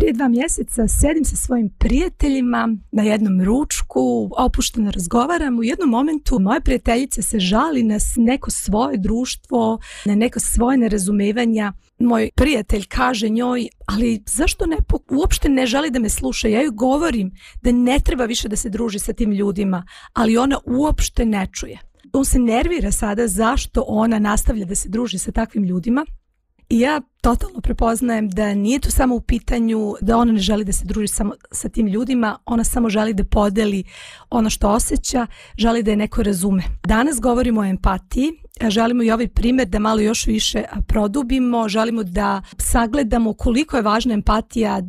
prije 2 mjeseca sedim sa svojim prijateljima na jednom ručku, opušteno razgovaram. U jednom momentu moja prijateljica se žali na neko svoje društvo, na neko svoje nerazumevanja. Moj prijatelj kaže njoj, ali zašto uopšte ne želi da me sluša? Ja joj govorim da ne treba više da se druži sa tim ljudima, ali ona uopšte ne čuje. On se nervira sada zašto ona nastavlja da se druži sa takvim ljudima. I ja totalno prepoznajem da nije to samo u pitanju da ona ne želi da se druži samo sa tim ljudima, ona samo želi da podeli ono što osjeća, želi da je neko razume. Danas govorimo o empatiji, želimo i ovaj primjer da malo još više produbimo, želimo da sagledamo koliko je važna empatija,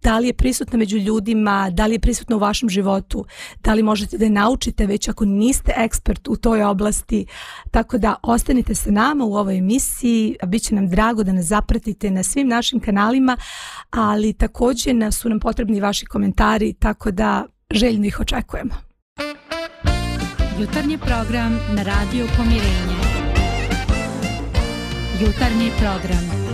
da li je prisutna među ljudima, da li je prisutna u vašem životu, da li možete da je naučite već ako niste ekspert u toj oblasti. Tako da ostanite sa nama u ovoj emisiji, biće nam drago da nas zapratite na svim našim kanalima, ali također su nam potrebni vaši komentari, tako da željno ih očekujemo. Jutarnji program na Radio Pomirenje. Jutarnji program.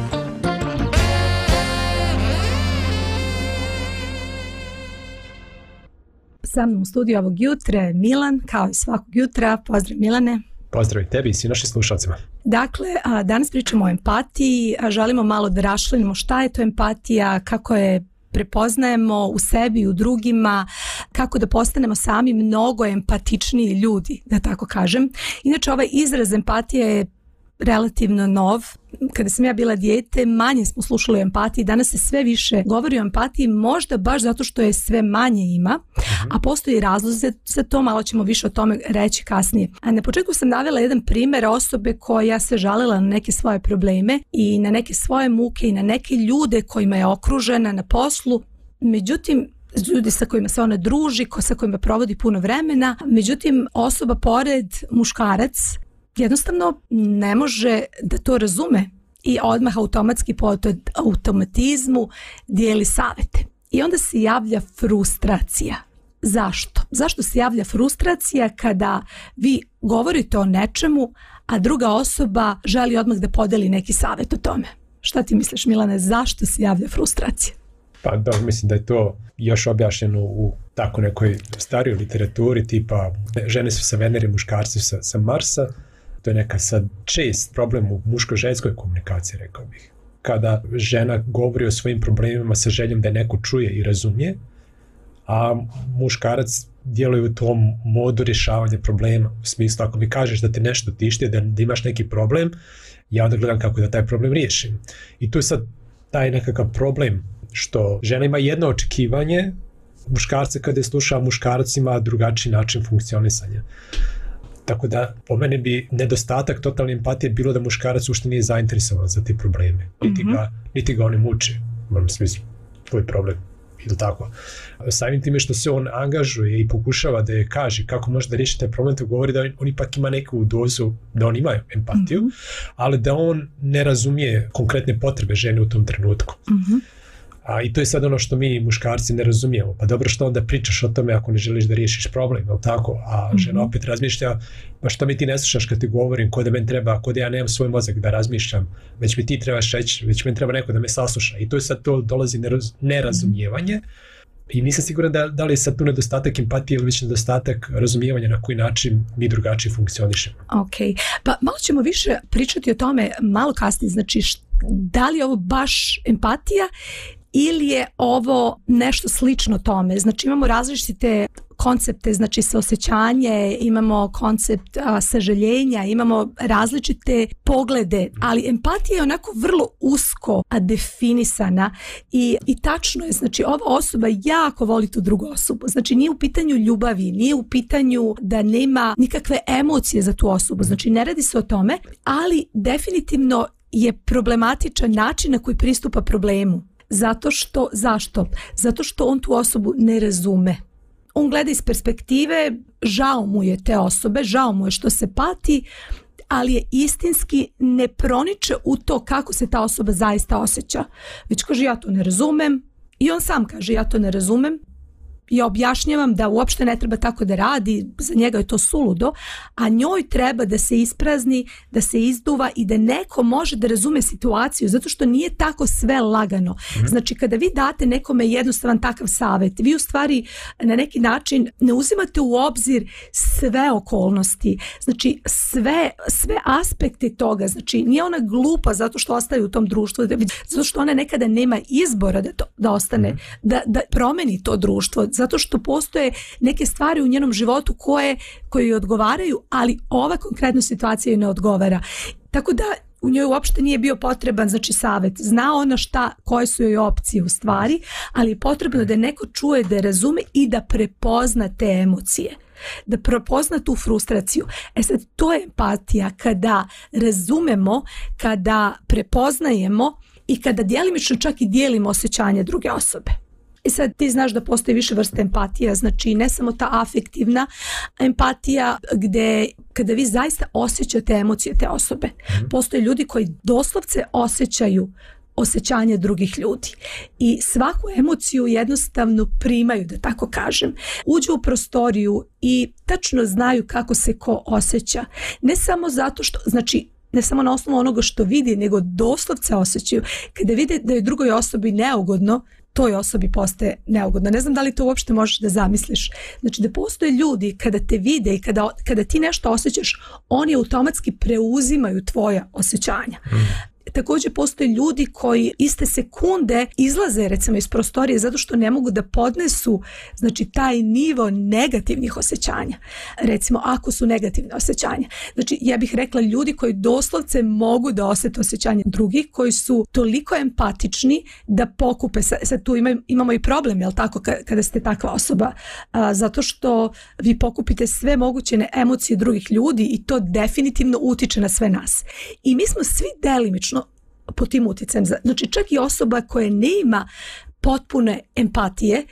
Sa mnom u studiju ovog jutra je Milan, kao i svakog jutra. Pozdrav Milane. Pozdrav i tebi i svim našim slušalcima. Dakle, danas pričamo o empatiji, želimo malo da raščlanimo šta je to empatija, kako je prepoznajemo u sebi i u drugima, kako da postanemo sami mnogo empatičniji ljudi, da tako kažem. Inače, ovaj izraz empatije je relativno nov. Kada sam ja bila dijete, manje smo slušali o empatiji, danas se sve više govori o empatiji, možda baš zato što je sve manje ima, a postoji razlog za to, malo ćemo više o tome reći kasnije. A na početku sam navela jedan primjer osobe koja se žalila na neke svoje probleme i na neke svoje muke i na neke ljude kojima je okružena na poslu, međutim, ljudi sa kojima se ona druži, sa kojima provodi puno vremena, međutim, osoba pored, muškarac, jednostavno ne može da to razume i odmah automatski po automatizmu dijeli savete. I onda se javlja frustracija. Zašto? Zašto se javlja frustracija kada vi govorite o nečemu, a druga osoba želi odmah da podeli neki savjet o tome? Šta ti misliš, Milane, zašto se javlja frustracija? Pa da, mislim da je to još objašnjeno u tako nekoj starijoj literaturi, tipa žene su sa Venere, muškarci su sa Marsa. To je neka sad čest problem u muško-ženskoj komunikaciji, rekao bih. Kada žena govori o svojim problemima sa željom da je neko čuje i razumije, a muškarac djeluje u tom modu rješavanja problema. U smislu, ako mi kažeš da te nešto tišti, da imaš neki problem, ja onda gledam kako da taj problem riješim. I tu je sad taj nekakav problem što žena ima jedno očekivanje, muškarce kada je sluša, muškarac ima drugačiji način funkcionisanja. Tako da, po mene bi nedostatak totalne empatije bilo da muškarac uopšte nije zainteresovan za te probleme. Niti ga oni muče. U smislu, tvoj problem. Ili tako. Samim time što se on angažuje i pokušava da je kaže kako može da riješi taj problem, to govori da on ipak ima neku dozu, da on ima empatiju, ali da on ne razumije konkretne potrebe žene u tom trenutku. I to je sad ono što mi muškarci ne razumijemo. Pa dobro, što onda pričaš o tome ako ne želiš da riješiš problem, je li tako? A žena opet razmišlja, pa što mi ti ne slušaš kad ti govorim, ko da meni treba, ko da ja nemam svoj mozak da razmišljam, već mi ti trebaš reći, već meni treba neko da me sasluša. I to je sad to dolazi nerazumijevanje. I nisam siguran da li je sad tu nedostatak empatije ili već nedostatak razumijevanja na koji način mi drugačije funkcionišemo. Ok, pa malo ćemo više pričati o tome malo kasnije, znači da li je ovo baš empatija ili je ovo nešto slično tome. Znači imamo različite koncepte, znači saosjećanje, imamo koncept sažaljenja, imamo različite poglede, ali empatija je onako vrlo usko definisana i tačno je, znači ova osoba jako voli tu drugu osobu, znači nije u pitanju ljubavi, nije u pitanju da nema nikakve emocije za tu osobu, znači ne radi se o tome, ali definitivno je problematičan način na koji pristupa problemu. Zašto? Zato što on tu osobu ne razume. On gleda iz perspektive, žao mu je te osobe, žao mu je što se pati, ali je istinski ne proniče u to kako se ta osoba zaista osjeća. Već kaže, ja to ne razumem, i on sam kaže, ja to ne razumem, ja objašnjavam da uopšte ne treba tako da radi, za njega je to suludo, a njoj treba da se isprazni, da se izduva i da neko može da razume situaciju, zato što nije tako sve lagano. Znači, kada vi date nekome jednostavan takav savjet, vi u stvari na neki način ne uzimate u obzir sve okolnosti, znači sve aspekte toga, znači nije ona glupa zato što ostaje u tom društvu, zato što ona nekada nema izbora da ostane, da promeni to društvo, zato što postoje neke stvari u njenom životu koje joj odgovaraju, ali ova konkretna situacija joj ne odgovara. Tako da u njoj uopšte nije bio potreban, znači, savjet. Zna ona koje su joj opcije u stvari, ali je potrebno da neko čuje, da razume i da prepozna te emocije, da prepozna tu frustraciju. Sad, to je empatija, kada razumemo, kada prepoznajemo i kada djelimično čak i dijelimo osjećanje druge osobe. I sad ti znaš da postoji više vrste empatija, znači ne samo ta afektivna empatija gdje kada vi zaista osjećate emocije te osobe. Postoje ljudi koji doslovce osjećaju osjećanje drugih ljudi i svaku emociju jednostavno primaju, da tako kažem. Uđu u prostoriju i tačno znaju kako se ko osjeća. Ne samo zato što, znači, ne samo na osnovu onoga što vidi, nego doslovce osjećaju. Kada vide da je drugoj osobi neugodno, toj osobi postaje neugodno. Ne znam da li to uopšte možeš da zamisliš. Znači, da postoje ljudi kada te vide i kada ti nešto osjećaš, oni automatski preuzimaju tvoja osjećanja. Također postoje ljudi koji iste sekunde izlaze recimo iz prostorije zato što ne mogu da podnesu, znači, taj nivo negativnih osjećanja. Recimo, ako su negativne osjećanja. Znači, ja bih rekla ljudi koji doslovce mogu da osjete osjećanje drugih, koji su toliko empatični da pokupe. Sad tu imamo i problem, jel tako, kada ste takva osoba, zato što vi pokupite sve moguće emocije drugih ljudi i to definitivno utiče na sve nas. I mi smo svi delimično pod tim utjecajem. Znači, čak i osoba koja nema potpune empatije,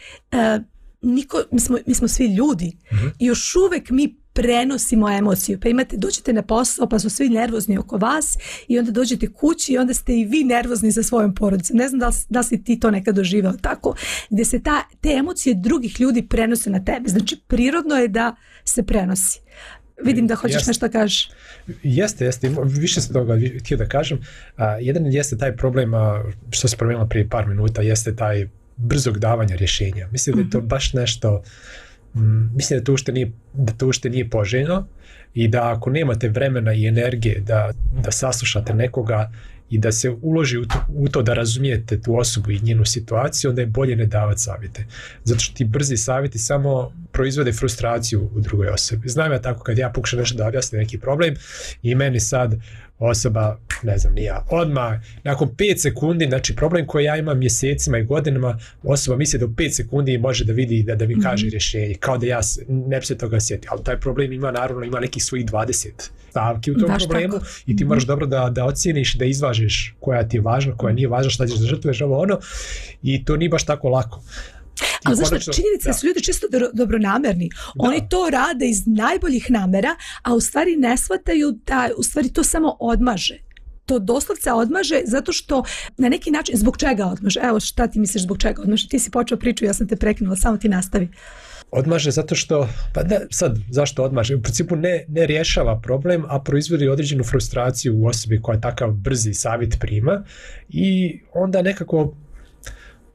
mi smo svi ljudi i još uvijek mi prenosimo emociju. Pa dođete na posao pa su svi nervozni oko vas i onda dođete kući i onda ste i vi nervozni za svojom porodicom. Ne znam da si ti to nekad doživao tako, gdje se te emocije drugih ljudi prenose na tebe. Znači, prirodno je da se prenosi. Vidim da hoćeš nešto kažeš. Jeste. Više se toga htio da kažem. Jedan jeste taj problem, što se promijenilo prije par minuta, jeste taj brzog davanja rješenja. Mislim da je to baš nešto, mislim da to ušte nije poželjno i da ako nemate vremena i energije da saslušate nekoga i da se uloži u to da razumijete tu osobu i njenu situaciju, onda je bolje ne davati savjete. Zato što ti brzi savjeti samo proizvode frustraciju u drugoj osobi. Znam ja tako kad ja pokušam nešto da objasnim neki problem i meni sad osoba, ne znam ni ja, odmah nakon 5 sekundi, znači problem koji ja imam mjesecima i godinama, osoba misli da u 5 sekundi može da vidi da mi kaže rješenje, kao da ja ne bi se toga sjetio, ali taj problem ima nekih svojih 20 stavki u tom problemu tako. I ti moraš dobro da ocijeniš, da izvažiš koja ti je važna, koja nije važna, šta ćeš da žrtvuješ ovo ono, i to nije baš tako lako. Ali znaš, činjenica su ljudi čisto dobronamerni. Oni to rade iz najboljih namera, a u stvari ne shvataju da u stvari to samo odmaže. To doslovce odmaže zato što na neki način, zbog čega odmaže? Evo, šta ti misliš zbog čega odmaže? Ti si počeo priču, ja sam te prekinula, samo ti nastavi. Odmaže zato što, zašto odmaže? U principu ne rješava problem, a proizvodi određenu frustraciju u osobi koja takav brzi savjet prima i onda nekako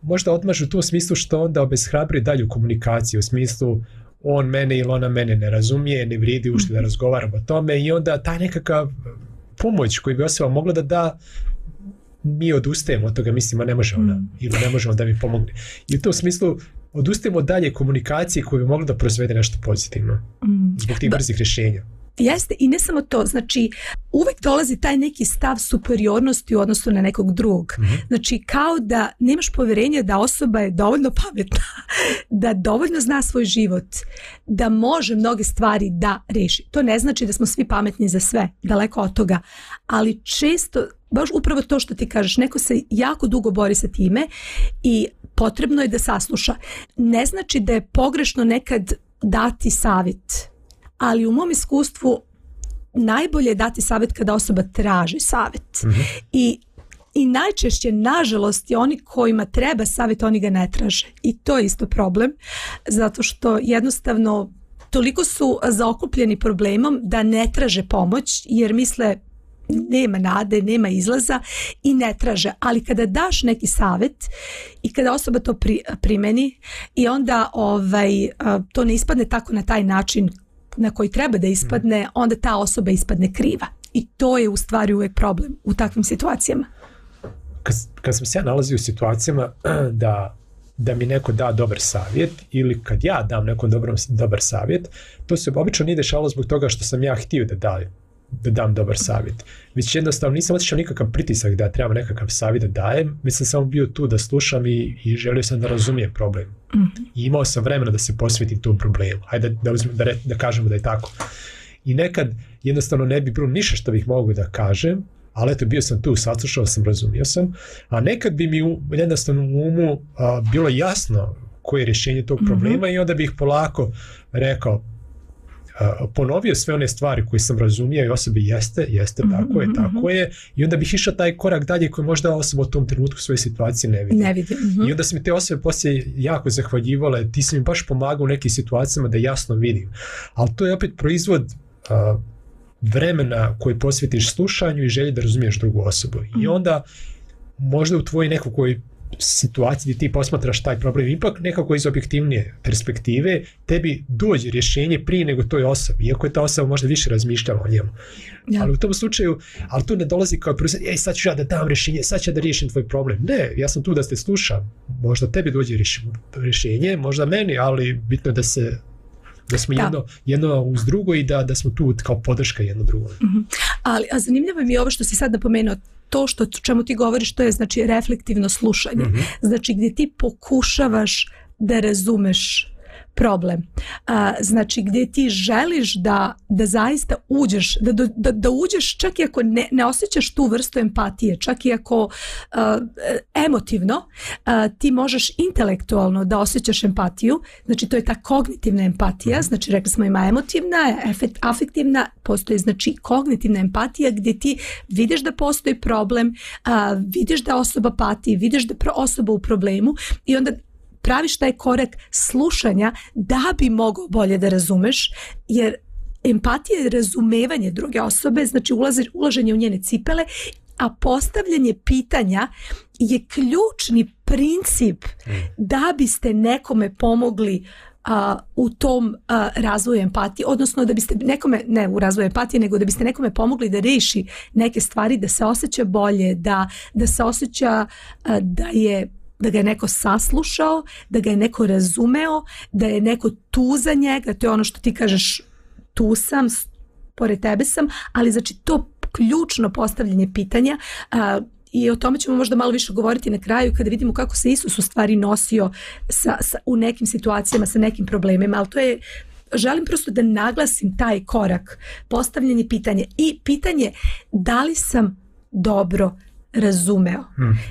možda odmaže u tom smislu što onda obeshrabri dalju komunikaciju, u smislu on mene ili ona mene ne razumije, ne vrijedi ušte da razgovaramo o tome i onda ta nekakav pomoć koju bi osoba mogla da da, mi odustajemo od toga, mislimo ne može ona ili ne može on da mi pomogne. I u tom smislu odustajemo dalje komunikacije koju bi mogla da proizvede nešto pozitivno zbog tih brzih rješenja. Jeste, i ne samo to, znači uvek dolazi taj neki stav superiornosti u odnosu na nekog drugog. Znači kao da nemaš povjerenje da osoba je dovoljno pametna, da dovoljno zna svoj život, da može mnoge stvari da reši. To ne znači da smo svi pametni za sve, daleko od toga, ali često, baš upravo to što ti kažeš, neko se jako dugo bori sa time i potrebno je da sasluša. Ne znači da je pogrešno nekad dati savjet, ali u mom iskustvu najbolje je dati savjet kada osoba traži savjet. I I najčešće, nažalost, je oni kojima treba savjet, oni ga ne traže. I to je isto problem, zato što jednostavno toliko su zaokupljeni problemom da ne traže pomoć, jer misle nema nade, nema izlaza i ne traže. Ali kada daš neki savjet i kada osoba to primeni i onda to ne ispadne tako na taj način na koji treba da ispadne, onda ta osoba ispadne kriva. I to je u stvari uvijek problem u takvim situacijama. Kad sam se ja nalazio u situacijama da mi neko da dobar savjet ili kad ja dam nekom dobar savjet, to se obično nije dešavalo zbog toga što sam ja htio da dam dobar savjet. Već jednostavno nisam osjećao nikakav pritisak da trebam nekakav savjet da dajem, već sam samo bio tu da slušam i želio sam da razumijem problem. I imao sam vremena da se posvetim tom problemu. Hajde da kažemo da je tako. I nekad jednostavno ne bi bilo ništa što bih mogao da kažem, ali eto, bio sam tu, saslušao sam, razumio sam, a nekad bi mi jednostavno u umu bilo jasno koje je rješenje tog problema i onda bih polako rekao, ponovio sve one stvari koje sam razumio i osobi jeste, tako je, i onda bih išao taj korak dalje koji možda osoba u tom trenutku svoje situacije ne vidi. I onda su mi te osobe poslije jako zahvaljivale, ti si mi baš pomagao u nekim situacijama da jasno vidim. Ali to je opet proizvod vremena koji posvetiš slušanju i želji da razumiješ drugu osobu. I onda možda u tvojoj nekakvoj situaciji gdje ti posmatraš taj problem ipak nekako iz objektivnije perspektive, tebi dođe rješenje prije nego toj osobi, iako je ta osoba možda više razmišljala o njemu. Ja. Ali u tom slučaju, ali to ne dolazi kao prvi, sad ću ja da dam rješenje, sad ću ja da riješim tvoj problem. Ne, ja sam tu da te slušam. Možda tebi dođe rješenje, možda meni, ali bitno je da smo jedno uz drugo i da smo tu kao podrška jedno drugo. Ali zanimljivo mi je ovo što si sad napomenuo, to što čemu ti govoriš, to je znači reflektivno slušanje. Znači gdje ti pokušavaš da razumeš problem. Znači gdje ti želiš da zaista uđeš, da uđeš čak i ako ne osjećaš tu vrstu empatije, čak i ako emotivno ti možeš intelektualno da osjećaš empatiju, znači to je ta kognitivna empatija, znači rekli smo ima emotivna, afektivna, postoji znači kognitivna empatija gdje ti vidiš da postoji problem, vidiš da osoba pati, vidiš da osoba u problemu i onda praviš taj korak slušanja da bi mogao bolje da razumeš, jer empatija je razumevanje druge osobe, znači ulaženje u njene cipele, a postavljanje pitanja je ključni princip da biste nekome pomogli u tom razvoju empatije, odnosno da biste nekome, ne u razvoju empatije, nego da biste nekome pomogli da riješi neke stvari, da se osjeća bolje, da se osjeća da ga je neko saslušao, da ga je neko razumeo, da je neko tu za njega, to je ono što ti kažeš, tu sam, pored tebe sam, ali znači to ključno postavljanje pitanja i o tome ćemo možda malo više govoriti na kraju kada vidimo kako se Isus u stvari nosio u nekim situacijama sa nekim problemima, ali to je, želim prosto da naglasim taj korak, postavljanje pitanja i pitanje da li sam dobro razumeo.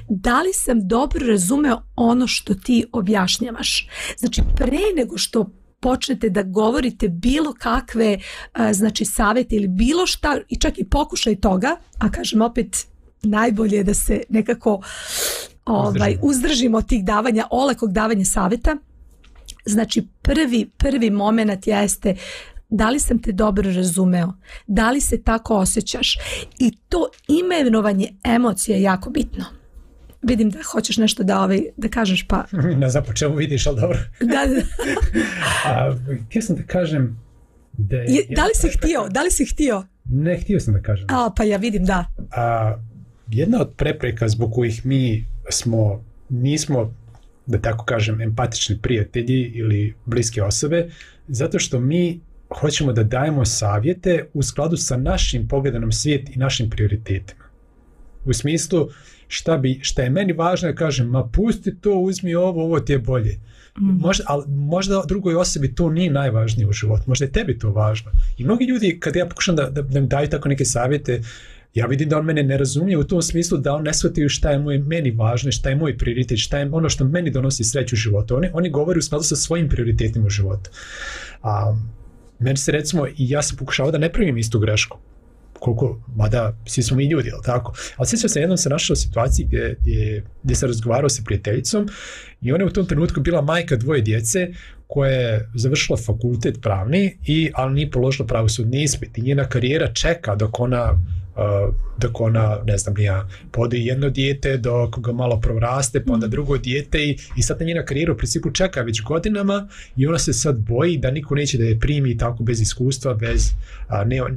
Da li sam dobro razumeo ono što ti objašnjavaš? Znači, pre nego što počnete da govorite bilo kakve znači savjete ili bilo šta, i čak i pokušaj toga, a kažem opet, najbolje je da se nekako uzdržimo od tih davanja, olakog davanja savjeta. Znači, prvi moment jeste da li sam te dobro razumeo, da li se tako osjećaš, i to imenovanje emocija je jako bitno. Vidim da hoćeš nešto da kažeš, pa... Ne znam po čemu vidiš, ali dobro. Da. Htio sam da kažem da Da li si htio? Ne, htio sam da kažem. Pa ja vidim, da. Jedna od prepreka zbog kojih mi nismo, da tako kažem, empatični prijatelji ili bliske osobe, zato što mi hoćemo da dajemo savjete u skladu sa našim pogledom na svijet i našim prioritetima. U smislu, šta je meni važno, da kažem, ma pusti to, uzmi ovo ti je bolje. Možda drugoj osobi to nije najvažnije u životu, možda je tebi to važno. I mnogi ljudi, kad ja pokušam da mi daju tako neke savjete, ja vidim da on mene ne razumije u tom smislu da on ne shvatio šta je meni važno, šta je moj prioritet, šta je ono što meni donosi sreću u životu. Oni govore u skladu sa svojim prioritetima u životu. Meni se, recimo, i ja sam pokušao da ne pravim istu grešku. koliko, mada svi smo mi ljudi, jel tako? Ali sjećam se, jednom se našao u situaciji gdje se razgovarao sa prijateljicom i ona je u tom trenutku bila majka 2 djece koja je završila fakultet pravni, ali nije položila pravosudni ispit i njena karijera čeka dok ona, ne znam ja, podoji jedno dijete, dok ga malo proraste, pa onda drugo dijete i sad njena karijera u principu čeka već godinama i ona se sad boji da niko neće da je primi tako bez iskustva,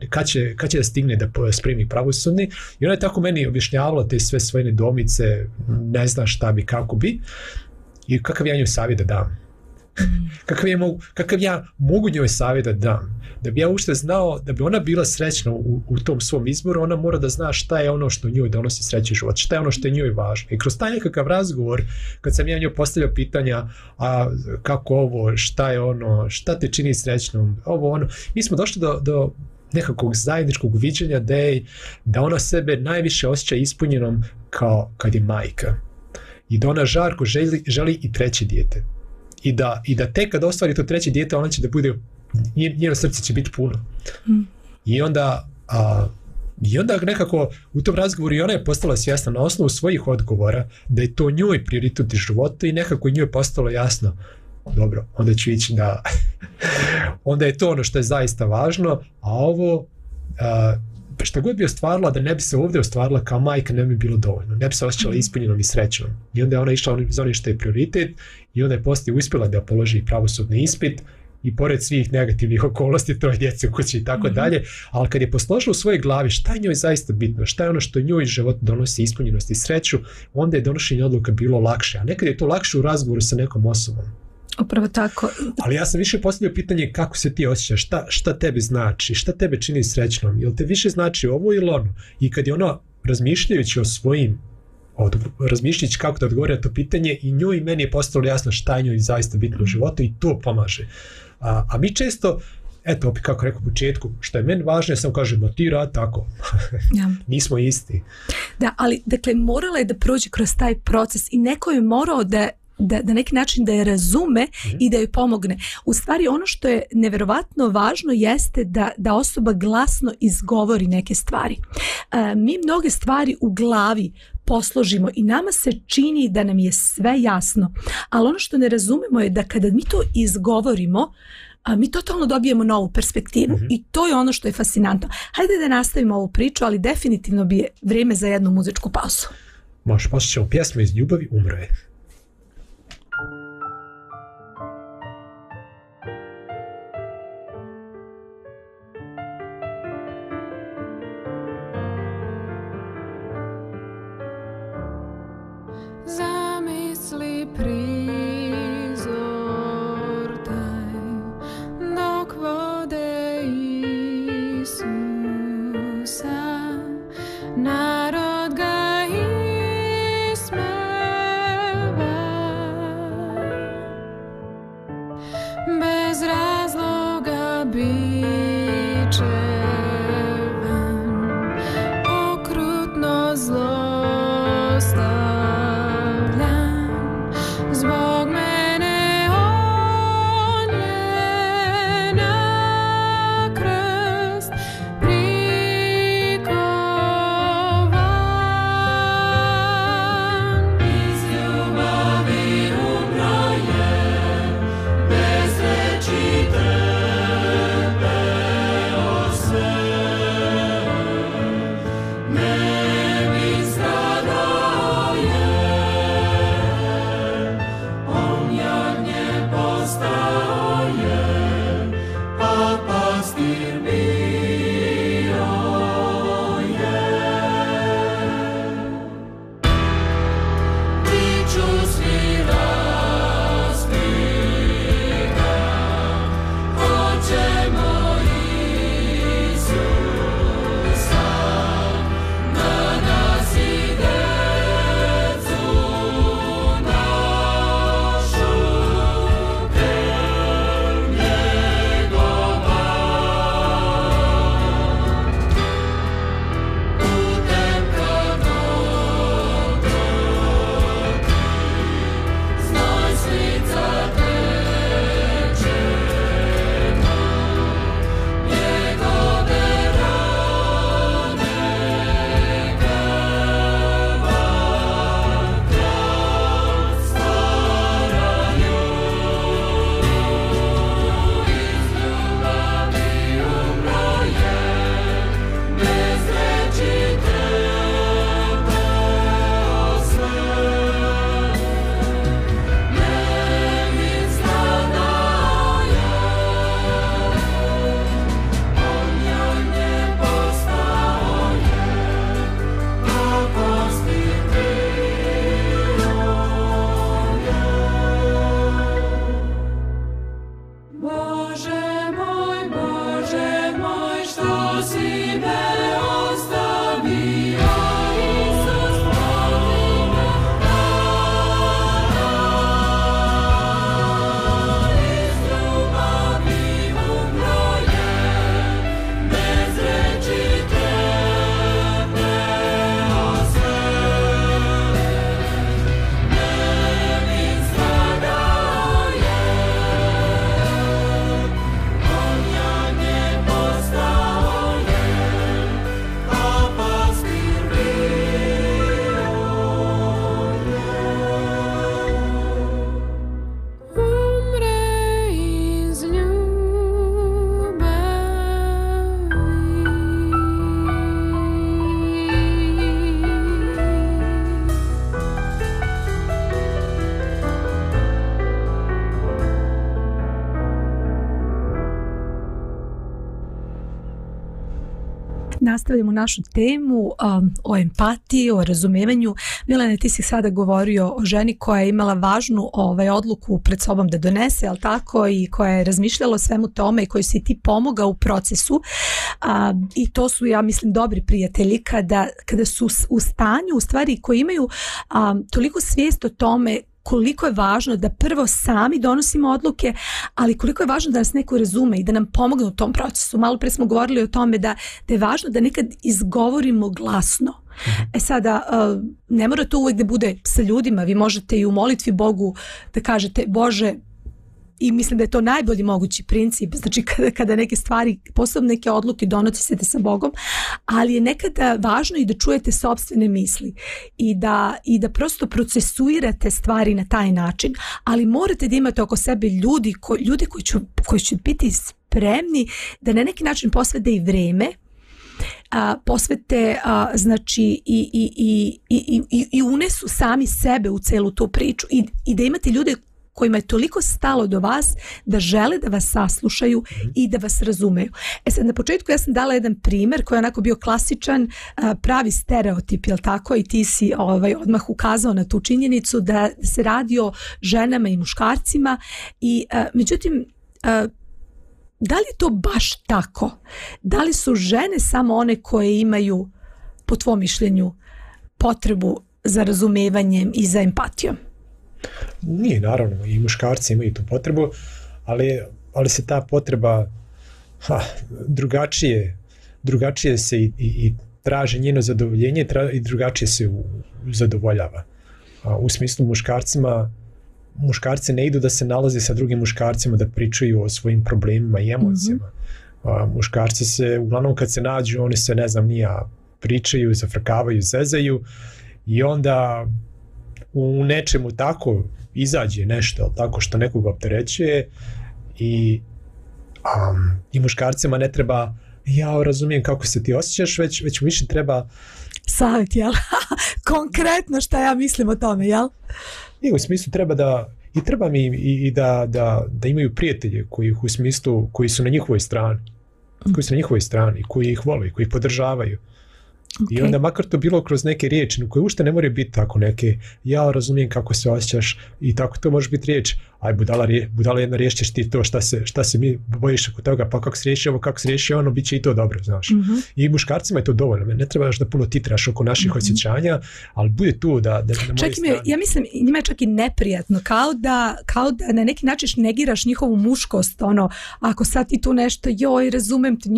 kad će da stigne da spremi pravosudni. I ona je tako meni objašnjavala te sve svoje nedoumice, ne zna šta bi, kako bi i kakav ja njoj savjet da dam. Kakav ja mogu njoj savjet da dam. Da bi ja ušte znao, da bi ona bila srećna u tom svom izboru, ona mora da zna šta je ono što njoj donosi sreću život, šta je ono što je njoj važno. I kroz taj nekakav razgovor, kad sam ja njoj postavljao pitanja, a kako ovo, šta je ono, šta te čini srećnom, ovo ono, mi smo došli do nekakvog zajedničkog viđenja da ona sebe najviše osjeća ispunjenom kao kad je majka. I da ona žarko želi i 3 dijete. I da tek kad ostvari to 3 dijete, ona će da bude, njeno srce će biti puno. I onda nekako u tom razgovoru i ona je postala svjesna na osnovu svojih odgovora da je to njoj prioritet u životu i nekako njoj je postalo jasno, dobro, onda ću ići da onda je to ono što je zaista važno, a ovo šta god bi ostvarila, da ne bi se ovdje ostvarila kao majka, ne bi bilo dovoljno, ne bi se osjećala ispunjenom i srećnom. I onda je ona išla za onim što je prioritet i onda je poslije uspjela da položi pravosudni ispit i pored svih negativnih okolnosti, 3 djece u kući i tako dalje, ali kad je posložila u svojoj glavi šta je njoj zaista bitno, šta je ono što njoj život donosi ispunjenost i sreću, onda je donošenje odluka bilo lakše, a nekad je to lakše u razgovoru sa nekom osobom. Upravo tako. Ali ja sam više postavio pitanje kako se ti osjećaš, šta tebi znači, šta tebe čini srećnom, jel te više znači ovo ili ono? I kad je ono razmišljajući o svojim, razmišljajući kako da odgovori na to pitanje, i njoj i meni je postalo jasno šta je njoj zaista bitno u životu i to pomaže. A mi često, eto, opet kako rekao u početku, što je meni važno, ja sam kažem, ti rad tako. Ja. Nismo isti. Da, ali dakle morala je da prođe kroz taj proces i neko je morao da neki način da je razume i da joj pomogne. U stvari ono što je neverovatno važno jeste da osoba glasno izgovori neke stvari. Mi mnoge stvari u glavi posložimo i nama se čini da nam je sve jasno, ali ono što ne razumemo je da kada mi to izgovorimo, mi totalno dobijemo novu perspektivu i to je ono što je fascinantno. Hajde da nastavimo ovu priču, ali definitivno bi je vrijeme za jednu muzičku pauzu. Može, poslušati pjesmu iz Ljubavi umro je. Zamisli prizor taj dok vode Isusa, narod ga ismeva, bez razloga bičevan, okrutno zlostavljan. Zbog mene on je na krst prikovan. Iz ljubavi umro je, bez reči Nastavljamo našu temu o empatiji, o razumevanju. Milane, ti si sada govorio o ženi koja je imala važnu odluku pred sobom da donese, ali tako, i koja je razmišljala o svemu tome i kojoj si ti pomogao u procesu. I to su, ja mislim, dobri prijatelji kada su u stanju, u stvari, koji imaju toliko svijest o tome koliko je važno da prvo sami donosimo odluke, ali koliko je važno da nas neko razume i da nam pomogne u tom procesu. Malo pre smo govorili o tome da je važno da nekad izgovorimo glasno. Sada, ne mora to uvijek da bude sa ljudima, vi možete i u molitvi Bogu da kažete Bože, i mislim da je to najbolji mogući princip, znači kada neke stvari, posebno neke odluke donosite sa Bogom, ali je nekada važno i da čujete sopstvene misli i da prosto procesuirate stvari na taj način, ali morate da imate oko sebe ljudi koji će biti spremni da na neki način posvete i vreme, posvete znači i unesu sami sebe u celu tu priču i da imate ljude kojima je toliko stalo do vas da žele da vas saslušaju i da vas razumeju. Sad, na početku ja sam dala jedan primjer koji je onako bio klasičan, pravi stereotip, jel tako? I ti si odmah ukazao na tu činjenicu da se radi o ženama i muškarcima i međutim, da li je to baš tako? Da li su žene samo one koje imaju, po tvom mišljenju, potrebu za razumevanjem i za empatijom? Nije, naravno, i muškarci imaju tu potrebu, ali se ta potreba drugačije se i traži njeno zadovoljenje i drugačije se zadovoljava. U smislu muškarci ne idu da se nalaze sa drugim muškarcima da pričaju o svojim problemima i emocijama. Muškarci se, uglavnom kad se nađu, oni se, ne znam, pričaju, zafrkavaju, zezaju i onda u nečemu tako izađe nešto tako što nekoga opterećuje i muškarcima ne treba ja razumijem kako se ti osjećaš, već više treba savjet, jel? Konkretno šta ja mislim o tome, jel? I u smislu treba mi da imaju prijatelje koji su na njihovoj strani, koji ih vole, koji ih podržavaju. Okay. I onda makar to bilo kroz neke riječi koje ušte ne moraju biti tako neke ja razumijem kako se osjećaš i tako to može biti riječ aj budala jedna riječ ćeš ti to šta se mi bojiš oko toga pa kako se riješi ovo kako se riješi ono bit će i to dobro znaš. I muškarcima je to dovoljno ne trebaš da puno titraš oko naših osjećanja ali bude tu da na moje strane. Ja mislim njima je čak i neprijatno kao da na neki način negiraš njihovu muškost ako sad ti tu nešto joj razumem te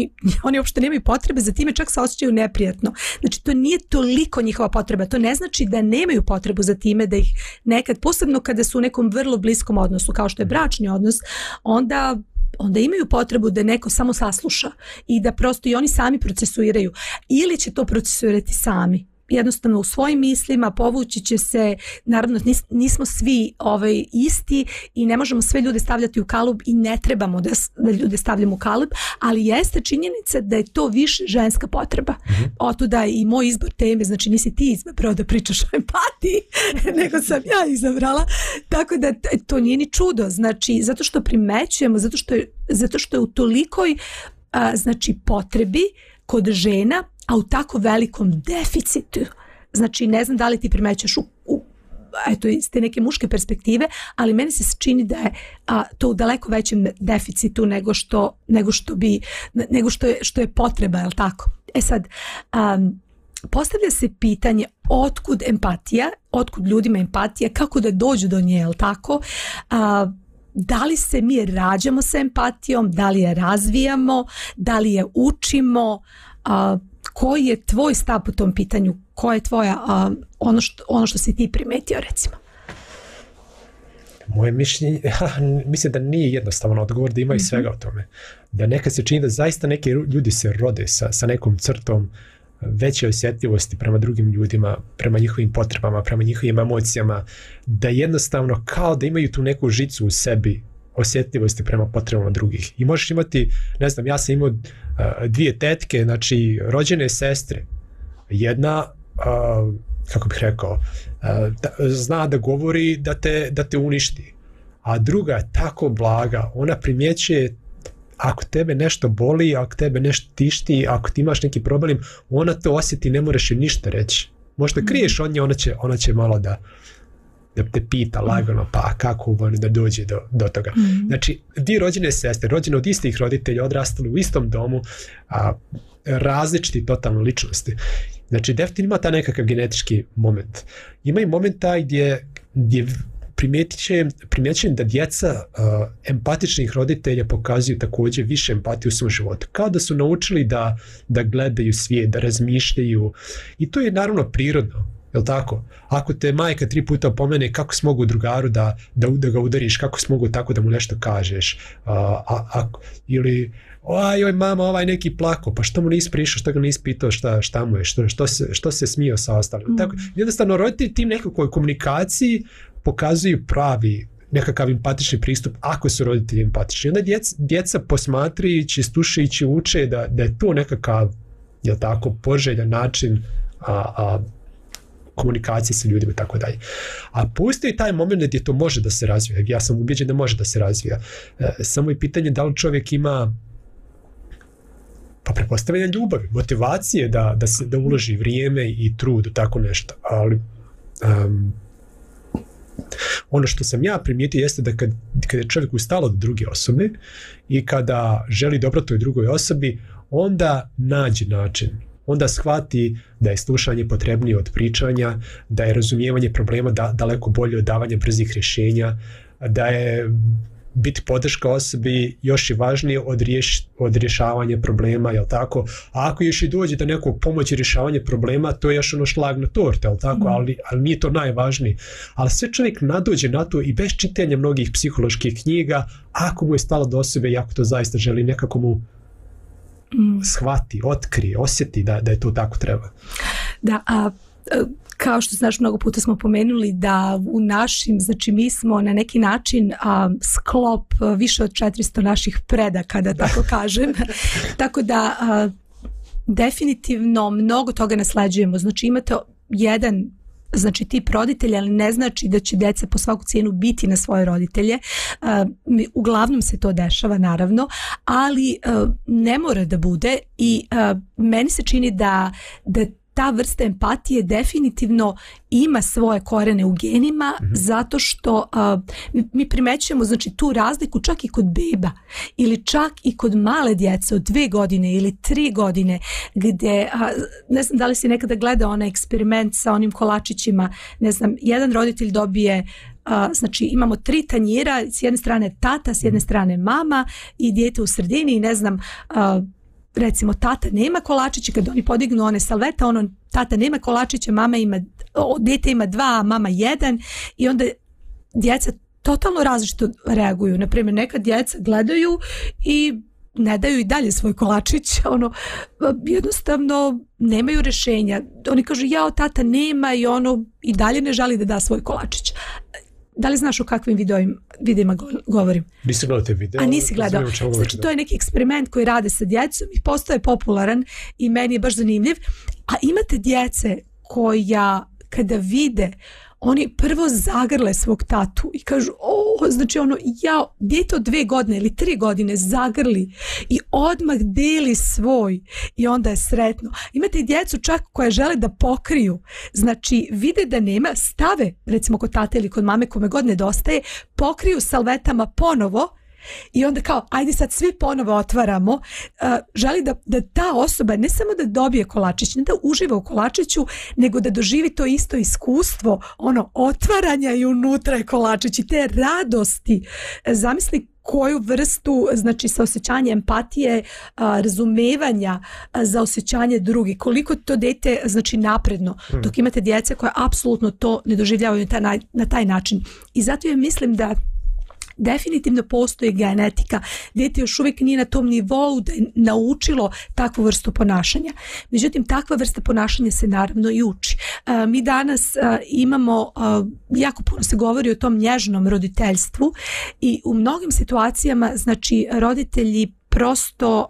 oni uopšte nemaju potrebe za time čak se osjećaju neprijatno. Znači to nije toliko njihova potreba, to ne znači da nemaju potrebu za time da ih nekad, posebno kada su u nekom vrlo bliskom odnosu kao što je bračni odnos, onda imaju potrebu da neko samo sasluša i da prosto i oni sami procesuiraju ili će to procesuirati sami. Jednostavno u svojim mislima povući će se, naravno nismo svi isti i ne možemo sve ljude stavljati u kalup i ne trebamo da ljude stavljamo u kalup, ali jeste činjenica da je to više ženska potreba. Otuda i moj izbor teme, znači nisi ti izabrao da pričaš o empatiji, nego sam ja izabrala, tako da to nije ni čudo, znači zato što primećujemo, zato što je u tolikoj znači potrebi kod žena a u tako velikom deficitu. Znači, ne znam da li ti primećaš iz te neke muške perspektive, ali meni se čini da je to u daleko većem deficitu nego što je potreba, je li tako? Sad, postavlja se pitanje otkud empatija, otkud ljudima empatija, kako da dođu do nje, je li tako? Da li se mi rađamo sa empatijom, da li je razvijamo, da li je učimo, koji je tvoj stav po tom pitanju? Koja je tvoja, ono što si ti primetio, recimo? Moje mišljenje, mislim da nije jednostavan odgovor, da ima i svega o tome. Da nekad se čini da zaista neki ljudi se rode sa nekom crtom veće osjetljivosti prema drugim ljudima, prema njihovim potrebama, prema njihovim emocijama, da jednostavno kao da imaju tu neku žicu u sebi osjetljivosti prema potrebama drugih. I možeš imati, ne znam, ja sam imao dvije tetke, znači rođene sestre. Jedna, kako bih rekao, zna da govori da te uništi. A druga je tako blaga, ona primjećuje ako tebe nešto boli, ako tebe nešto tišti, ako ti imaš neki problem, ona to osjeti, ne moraš joj ništa reći. Možda kriješ od nje, ona će malo da te pita lagano, pa kako da dođe do toga. Znači, dvije rođene sestre, rođene od istih roditelja, odrastali u istom domu, različiti totalno ličnosti. Znači, definitivno ima ta nekakav genetički moment. Ima i momenta gdje primjećujem da djeca empatičnih roditelja pokazuju također više empatije u svom životu. Kao da su naučili da gledaju svijet, da razmišljaju. I to je naravno prirodno. Jel tako? Ako te majka 3 puta opomene, kako si mogu drugaru da ga udariš, kako si mogu tako da mu nešto kažeš, ili oj mama, ovaj neki plako, pa što mu nisi prišao, što ga nisi pitao šta mu je, što se smio sa ostalim. Tako, jednostavno roditelji tim nekakvoj komunikaciji pokazuju pravi nekakav empatični pristup ako su roditelji empatični. Onda djeca posmatrajući, slušajući uče da je to nekakav, jel tako, poželjan način komunikacije sa ljudima i tako dalje. A postoji taj moment gdje to može da se razvija. Ja sam ubeđen da može da se razvija. Samo je pitanje da li čovjek ima pretpostavljanje ljubavi, motivacije da uloži vrijeme i trud u tako nešto. Ali ono što sam ja primijetio jeste da kada je čovjek ustalo od druge osobe i kada želi dobro toj drugoj osobi, onda nađe način. Onda shvati da je slušanje potrebnije od pričanja, da je razumijevanje problema daleko bolje od davanja brzih rješenja, da je biti podrška osobi još i važnije od rješavanja problema, jel tako? A ako još i dođe do nekog pomoći rješavanja problema, to je još ono šlag na torte, jel tako? Ali nije to najvažnije. Ali sve čovjek nadođe na to i bez čitanja mnogih psiholoških knjiga, ako mu je stalo do osobe i ako to zaista želi, nekako mu shvati, otkrije, osjeti da je to tako treba. Da, kao što znaš, mnogo puta smo pomenuli da u našim, znači mi smo na neki način sklop više od 400 naših predaka, da tako kažem. Tako da definitivno mnogo toga nasleđujemo. Znači imate jedan tip roditelja, ali ne znači da će djeca po svaku cijenu biti na svoje roditelje. Uglavnom se to dešava, naravno, ali ne mora da bude i meni se čini da ta vrsta empatije definitivno ima svoje korene u genima, zato što mi primećujemo tu razliku čak i kod beba ili čak i kod male djece od 2 godine ili 3 godine gdje, ne znam da li si nekada gledao onaj eksperiment sa onim kolačićima, ne znam, jedan roditelj dobije znači imamo 3 tanjira, s jedne strane tata, s jedne strane mama i dijete u sredini i ne znam, recimo tata nema kolačića, kad oni podignu one salvete, tata nema kolačića, dijete ima 2, mama 1 i onda djeca totalno različito reaguju. Naprimjer, neka djeca gledaju i ne daju i dalje svoj kolačić, jednostavno nemaju rješenja. Oni kažu tata nema i dalje ne želi da da svoj kolačić. Da li znaš o kakvim videima govorim? Nisam gledao te video. A nisi gledao. Znači to je neki eksperiment koji rade sa djecom i postaje popularan i meni je baš zanimljiv. A imate djece koja kada vide, oni prvo zagrle svog tatu i kažu, znači dijete od 2 godine ili 3 godine zagrli i odmah deli svoj i onda je sretno. Imate i djecu čak koje žele da pokriju, znači vide da nema, stave recimo kod tate ili kod mame kome god nedostaje, pokriju salvetama ponovo i onda kao, ajde sad svi ponovo otvaramo, želi da ta osoba ne samo da dobije kolačić, ne da uživa u kolačiću, nego da doživi to isto iskustvo, otvaranja i unutra je kolačić i te radosti. Zamisli koju vrstu, znači saosjećanja empatije, razumevanja za osjećanje drugih, koliko to dete znači napredno, dok imate djece koja apsolutno to ne doživljavaju na taj način. I zato ja mislim da definitivno postoji genetika. Dijete još uvijek nije na tom nivou da je naučilo takvu vrstu ponašanja. Međutim, takva vrsta ponašanja se naravno i uči. Mi danas imamo, jako puno se govori o tom nježnom roditeljstvu i u mnogim situacijama, znači, roditelji prosto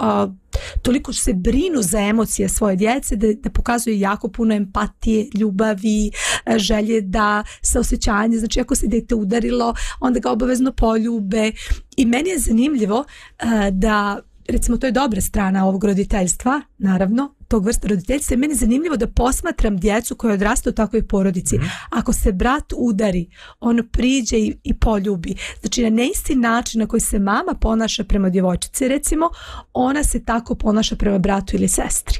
toliko se brinu za emocije svoje djece da pokazuju jako puno empatije, ljubavi, želje da saosećanje, znači ako se dete udarilo, onda ga obavezno poljube. I meni je zanimljivo da, recimo, to je dobra strana ovog roditeljstva, naravno, tog vrsta roditeljstva, je meni zanimljivo da posmatram djecu koja odrasta u takvoj porodici. Ako se brat udari, on priđe i poljubi. Znači, na neisti način na koji se mama ponaša prema djevojčici, recimo, ona se tako ponaša prema bratu ili sestri.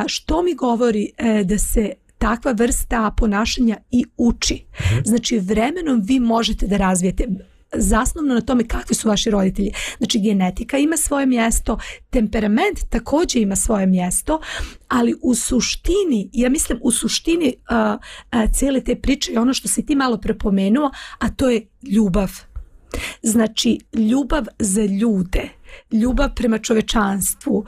Što mi govori da se takva vrsta ponašanja i uči. Znači, vremenom vi možete da razvijete, zasnovno na tome kakvi su vaši roditelji. Znači, genetika ima svoje mjesto, temperament također ima svoje mjesto, ali u suštini, ja mislim u suštini cijele te priče je ono što si ti malo prepomenuo, a to je ljubav. Znači, ljubav za ljude, ljubav prema čovečanstvu,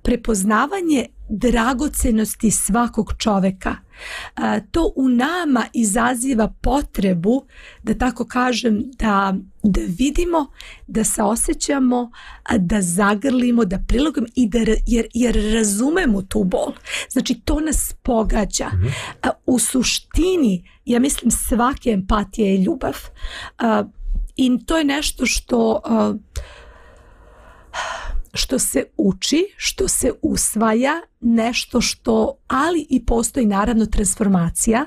prepoznavanje dragocenosti svakog čoveka. To u nama izaziva potrebu, da tako kažem, da vidimo, da saosećamo, da zagrlimo, da prilagujemo i jer razumemo tu bol. Znači, to nas pogađa. U suštini, ja mislim, svake empatije je ljubav. I to je nešto što se uči, što se usvaja, nešto što, ali i postoji naravno transformacija,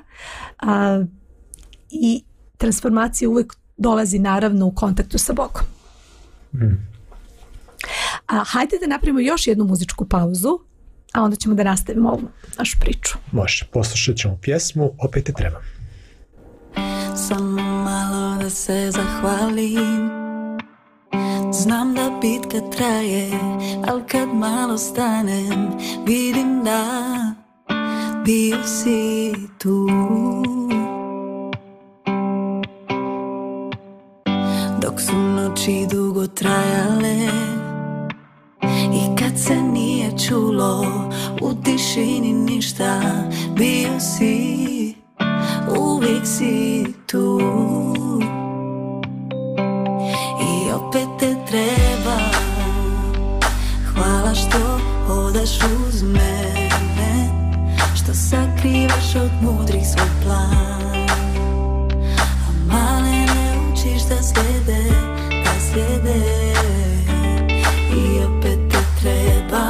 i transformacija uvijek dolazi naravno u kontaktu sa Bogom. Hajde da napravimo još jednu muzičku pauzu, a onda ćemo da nastavimo ovu našu priču. Može, poslušat ćemo pjesmu Opet te trebam. Samo malo da se zahvalim. Znam da bitka traje, al kad malo stanem, vidim da bio si tu. Dok su noći dugo trajale i kad se nije čulo u tišini ništa, bio si, uvijek si tu. I opet te treba, hvala što hodaš uz mene, što sakrivaš od mudrih svoj plan, a male ne učiš da slijede, i opet te treba,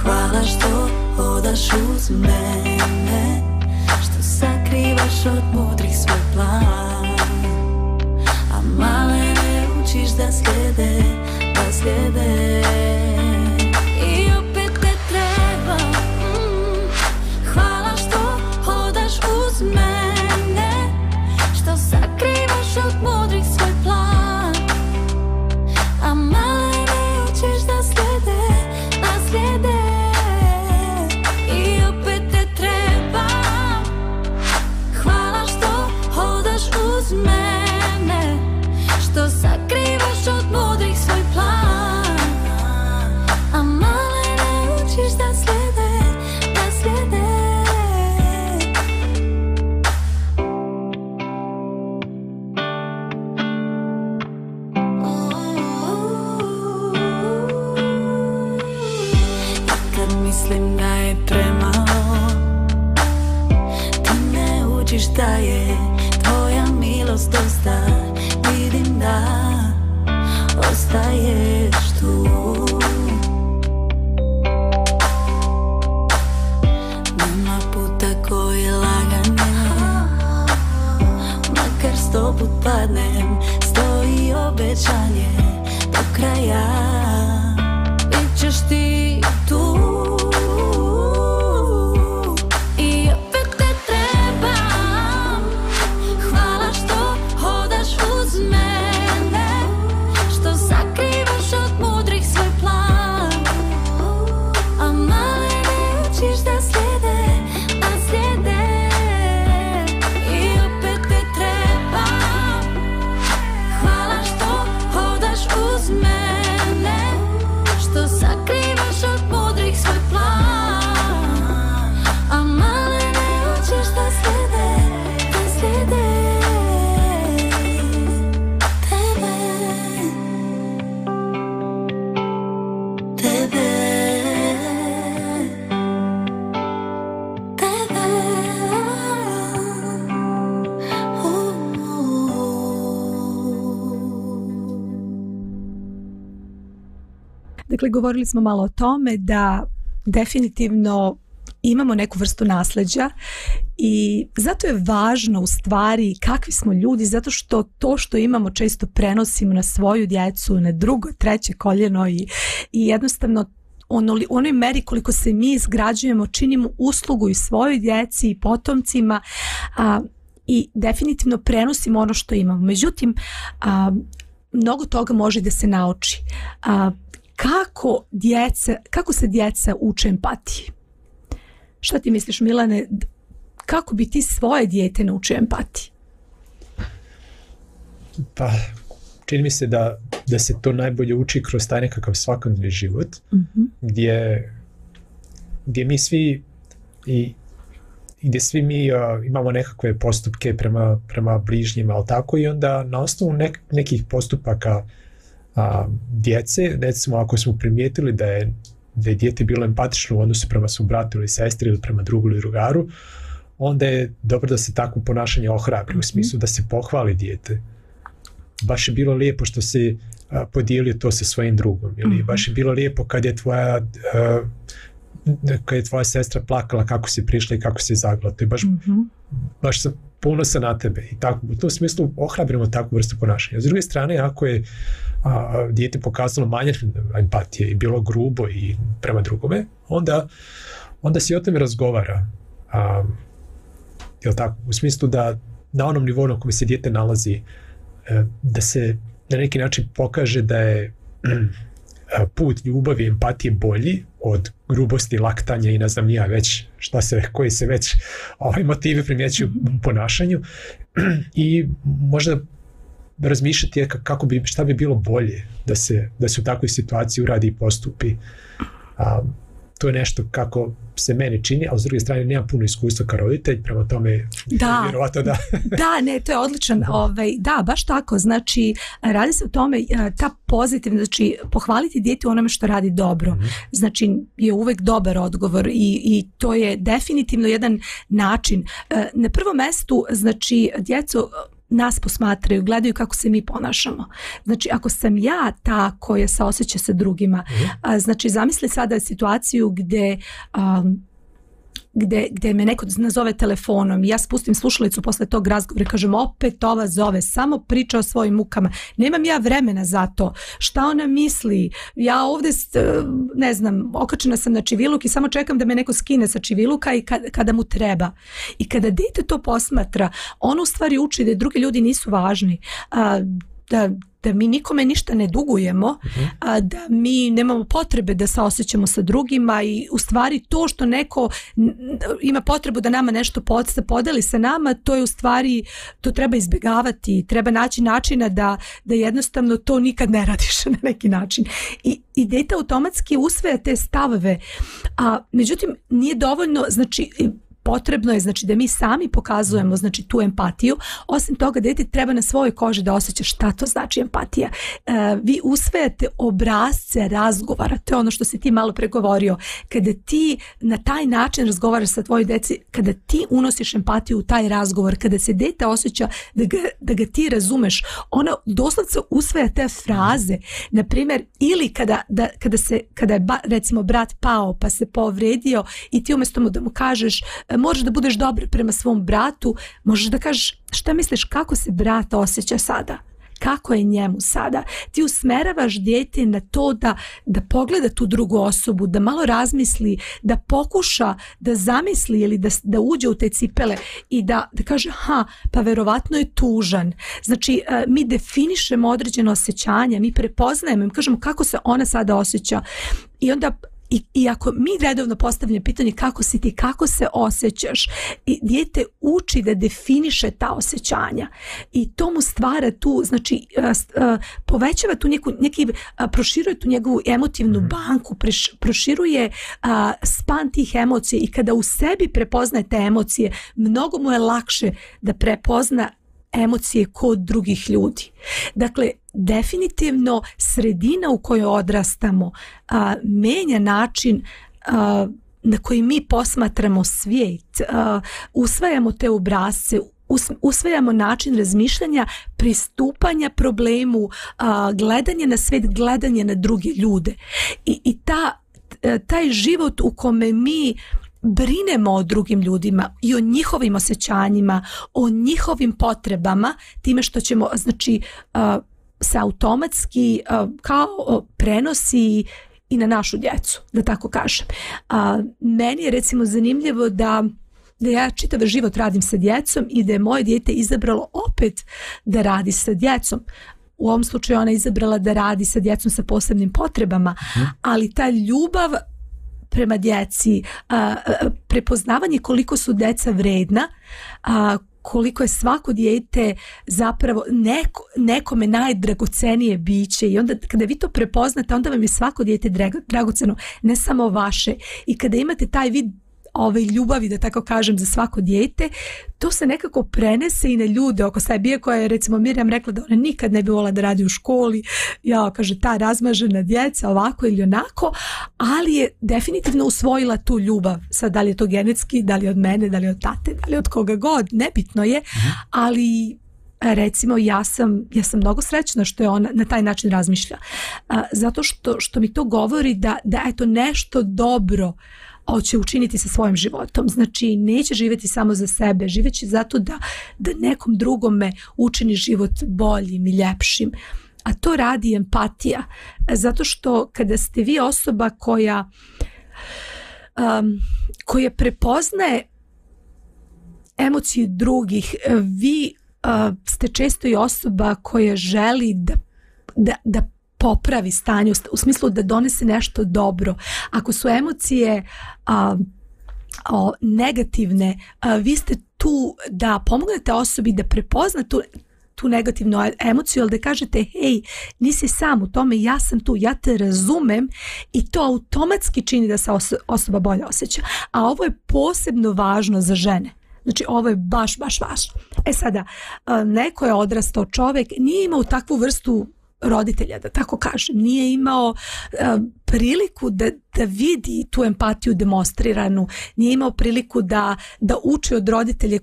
hvala što hodaš uz mene, što sakrivaš od mudrih svoj plan, male ne učiš da slijede, i opet te treba, hvala što hodaš uz mene, što sakrivaš od mudrih svoj plan, a male ne učiš da slijede, i opet te treba, hvala što hodaš uz mene, što sakrivaš od mudrih svoj plan, a male ne učiš da slijede. I kad mislim da je premalo, ti ne učiš da je tvoja milost dosta, vidim da ostaješ tu. Nema puta koji je lagane, makar 100 put padnem, stoji obećanje do kraja, bit ćeš ti tu. I opet te trebam, hvala što hodaš uz mene, što sakrivaš od mudrih svoj plan, a male ne učiš da slijede, i opet te trebam, hvala što hodaš uz mene, što sakrivaš od mudrih svoj plan. Dakle, govorili smo malo o tome da definitivno imamo neku vrstu nasleđa i zato je važno u stvari kakvi smo ljudi, zato što to što imamo često prenosimo na svoju djecu, na drugo, treće koljeno i jednostavno u onoj meri koliko se mi izgrađujemo, činimo uslugu i svojoj djeci i potomcima i definitivno prenosimo ono što imamo. Međutim, mnogo toga može da se nauči. Kako se djeca uče empatiji? Šta ti misliš, Milane, kako bi ti svoje dijete naučio empatiji? Pa, čini mi se da se to najbolje uči kroz taj nekakav svakodnevni život, gdje mi svi i gdje svi mi imamo nekakve postupke prema bližnjima, ali tako, i onda na osnovu nekih postupaka djece, recimo ako smo primijetili da je dijete bilo empatično u odnosu prema svom bratu ili sestri ili prema drugu ili drugaru, onda je dobro da se takvo ponašanje ohrabri, u smislu da se pohvali dijete. Baš je bilo lijepo što si podijelio to sa svojim drugom, ili baš je bilo lijepo kad je tvoja sestra plakala kako si prišla i kako si zagrla. To je baš sam ponosan na tebe. I tako, u tom smislu ohrabrimo takvu vrstu ponašanja. S druge strane, ako je dijete pokazalo manjak empatije i bilo grubo i prema drugome, onda se o tome razgovara. Jel tako? U smislu da na onom nivou na kojem se dijete nalazi, da se na neki način pokaže da je put ljubavi i empatije bolji od grubosti, laktanja i ne znam nija već koji se već motivi primjećuju u ponašanju, i možda razmišljati šta bi bilo bolje da se u takvoj situaciji uradi i postupi. To je nešto kako se meni čini, a s druge strane nemam puno iskustva kao roditelj, prema tome vjerovatno da. Da, ne, to je odličan. Da, baš tako. Znači, radi se o tome, ta pozitivna, znači, pohvaliti dijete u onome što radi dobro. Znači, je uvek dobar odgovor i to je definitivno jedan način. Na prvom mestu, znači, djecu nas posmatraju, gledaju kako se mi ponašamo. Znači, ako sam ja ta koja se osjeća sa drugima, znači, zamisli sada situaciju gdje me neko nazove telefonom i ja spustim slušalicu posle tog razgovora i kažem, opet ova zove, samo priča o svojim mukama. Nemam ja vremena za to. Šta ona misli? Ja ovdje, ne znam, okačena sam na čiviluk i samo čekam da me neko skine sa čiviluka i kada mu treba. I kada dijete to posmatra, ono u stvari uči da drugi ljudi nisu važni, da mi nikome ništa ne dugujemo, da mi nemamo potrebe da se osjećamo sa drugima i u stvari to što neko ima potrebu da nama nešto podeli sa nama, to je u stvari, to treba izbjegavati, treba naći načina da jednostavno to nikad ne radiš na neki način. I dete automatski usvaja te stavove, međutim nije dovoljno, znači potrebno je, znači, da mi sami pokazujemo, znači, tu empatiju. Osim toga, dete treba na svojoj koži da osjeća šta to znači empatija. Vi usvajate obrasce razgovara, to je ono što si ti malo pregovorio. Kada ti na taj način razgovaraš sa tvojoj djeci, kada ti unosiš empatiju u taj razgovor, kada se dete osjeća da ga ti razumeš, ono doslovce usvaja te fraze. Na primjer, ili kada je recimo brat pao pa se povredio i ti umjesto da mu kažeš možeš da budeš dobar prema svom bratu, možeš da kažeš šta misliš kako se brat osjeća sada, kako je njemu sada. Ti usmeravaš dijete na to da pogleda tu drugu osobu, da malo razmisli, da pokuša da zamisli ili da uđe u te cipele i da kaže pa verovatno je tužan. Znači mi definišemo određeno osjećanje, mi prepoznajemo, mi kažemo kako se ona sada osjeća i onda I ako mi redovno postavljamo pitanje kako si ti, kako se osjećaš, i dijete uči da definiše ta osjećanja i to mu stvara tu, znači povećava tu proširuje tu njegovu emotivnu banku, proširuje span tih emocija i kada u sebi prepoznaje te emocije, mnogo mu je lakše da prepozna emocije kod drugih ljudi. Dakle, definitivno sredina u kojoj odrastamo menja način na koji mi posmatramo svijet, usvajamo te obrasce, usvajamo način razmišljanja, pristupanja problemu, gledanje na svet, gledanje na druge ljude. I taj život u kome mi brinemo o drugim ljudima i o njihovim osjećanjima, o njihovim potrebama, time što ćemo, znači, se automatski kao prenosi i na našu djecu, da tako kažem. Meni je recimo zanimljivo da ja čitav život radim sa djecom i da je moje dijete izabralo opet da radi sa djecom. U ovom slučaju ona je izabrala da radi sa djecom sa posebnim potrebama, ali ta ljubav prema djeci, prepoznavanje koliko su djeca vredna, koliko je svako dijete zapravo nekome najdragocenije biće, i onda kada vi to prepoznate, onda vam je svako dijete dragoceno, ne samo vaše. I kada imate taj vid ljubavi, da tako kažem, za svako dijete, to se nekako prenese i na ljude oko sebe. Iako je recimo Mirjam rekla da ona nikad ne bi volila da radi u školi, kaže, ta razmažena djeca ovako ili onako, ali je definitivno usvojila tu ljubav. Sad, da li je to genetski, da li je od mene, da li je od tate, da li je od koga god, nebitno je, ali recimo ja sam mnogo srećna što je ona na taj način razmišlja, zato što mi to govori da eto nešto dobro hoće učiniti sa svojim životom. Znači, neće živjeti samo za sebe, živeći zato da nekom drugome učini život boljim i ljepšim. A to radi empatija. Zato što kada ste vi osoba koja prepoznaje emociju drugih, vi ste često i osoba koja želi da popravi stanje, u smislu da donese nešto dobro. Ako su emocije negativne, vi ste tu da pomognete osobi da prepozna tu negativnu emociju, ali da kažete, hej, nisi sam u tome, ja sam tu, ja te razumem, i to automatski čini da se osoba bolje osjeća. A ovo je posebno važno za žene. Znači, ovo je baš važno. Sada, neko je odrastao čovjek, nije imao takvu vrstu roditelja, da tako kažem, nije imao priliku da vidi tu empatiju demonstriranu, nije imao priliku da uči od roditelja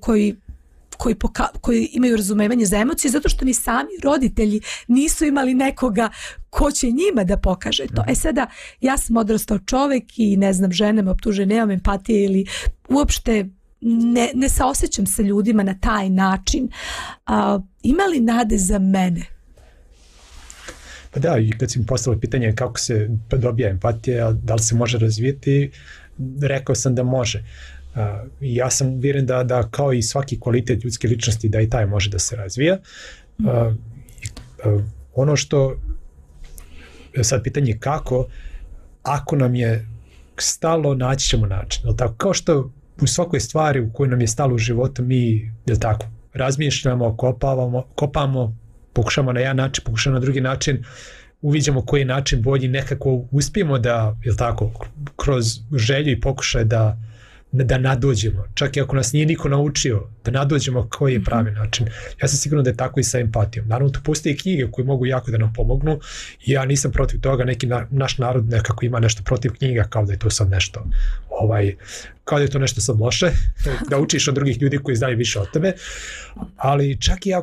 koji imaju razumevanje za emocije, zato što ni sami roditelji nisu imali nekoga ko će njima da pokaže to. Sada, ja sam odrastao čovjek i ne znam, žene me optuže, nemam empatije ili uopšte ne saosjećam sa ljudima na taj način. Ima li nade za mene? Pa da, i kad si mi postavila pitanje kako se dobija empatija, da li se može razvijeti, rekao sam da može. Ja sam uvjeren da kao i svaki kvalitet ljudske ličnosti, da i taj može da se razvija. Ono što, sad pitanje kako, ako nam je stalo, naći ćemo način. Tako, kao što u svakoj stvari u kojoj nam je stalo u životu, mi razmišljamo, kopamo, pokušamo na jedan način, pokušamo na drugi način, uviđamo koji je način bolji, nekako uspijemo da, kroz želju i pokušaj da nadođemo, čak i ako nas nije niko naučio, da nadođemo koji je pravi način. Ja sam siguran da je tako i sa empatijom. Naravno, tu postoje knjige koje mogu jako da nam pomognu i ja nisam protiv toga, neki naš narod nekako ima nešto protiv knjiga, kao da je to sad nešto kao da je to nešto sad loše, da učiš od drugih ljudi koji znaju više od tebe, ali čak i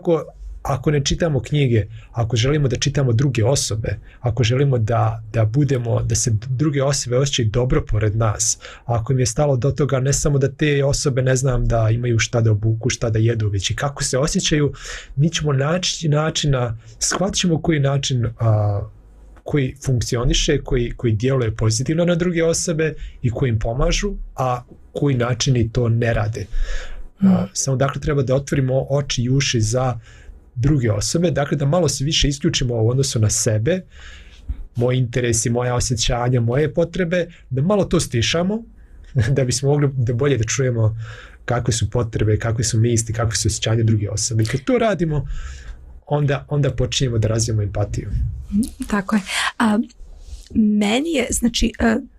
ako ne čitamo knjige, ako želimo da čitamo druge osobe, ako želimo da se druge osobe osjećaju dobro pored nas, ako im je stalo do toga ne samo da te osobe, ne znam, da imaju šta da obuku, šta da jedu, već i kako se osjećaju, mi ćemo naći načina, shvatit ćemo koji način koji funkcioniše, koji djeluje pozitivno na druge osobe i koji im pomažu, a koji načini to ne rade. Samo dakle treba da otvorimo oči i uši za druge osobe, dakle da malo se više isključimo u odnosu na sebe, moji interesi, moja osjećanja, moje potrebe, da malo to stišamo, da bismo mogli da bolje da čujemo kakve su potrebe, kakve su misli, kakve su osjećanja druge osobe. I kad to radimo, onda počinjemo da razvijemo empatiju. Tako je. Meni je, znači,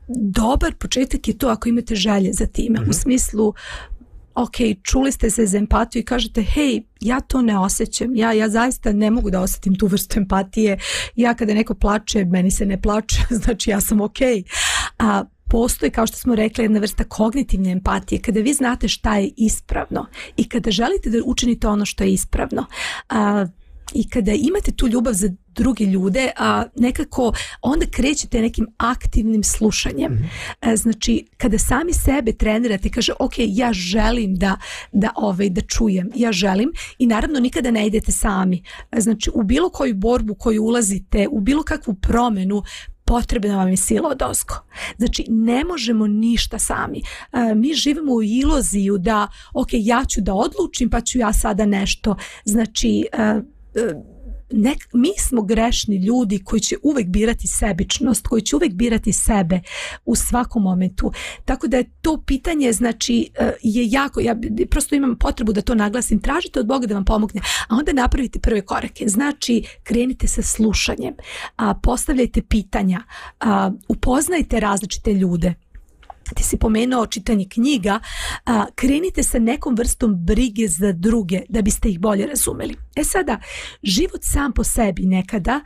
dobar početak je to ako imate želje za time, u smislu ok, čuli ste se za empatiju i kažete, hej, ja to ne osjećam, ja zaista ne mogu da osjetim tu vrstu empatije, ja kada neko plače, meni se ne plače, znači ja sam ok. postoji, kao što smo rekli, jedna vrsta kognitivne empatije, kada vi znate šta je ispravno i kada želite da učinite ono što je ispravno, i kada imate tu ljubav za druge ljude, nekako onda krećete nekim aktivnim slušanjem. Znači, kada sami sebe trenirate, kaže, ok, ja želim da čujem, ja želim, i naravno nikada ne idete sami. Znači, u bilo koju borbu koju ulazite, u bilo kakvu promenu, potrebna vam je sila odozgo. Znači, ne možemo ništa sami. Mi živimo u iluziju da, ok, ja ću da odlučim, pa ću ja sada nešto. Znači, mi smo grešni ljudi koji će uvek birati sebičnost, koji će uvek birati sebe u svakom momentu. Tako da je to pitanje, znači, je jako, ja prosto imam potrebu da to naglasim, tražite od Boga da vam pomogne, a onda napravite prve korake. Znači, krenite sa slušanjem, postavljajte pitanja, upoznajte različite ljude. Ti si pomenuo čitanje knjiga, krenite sa nekom vrstom brige za druge da biste ih bolje razumeli. Sada, život sam po sebi nekada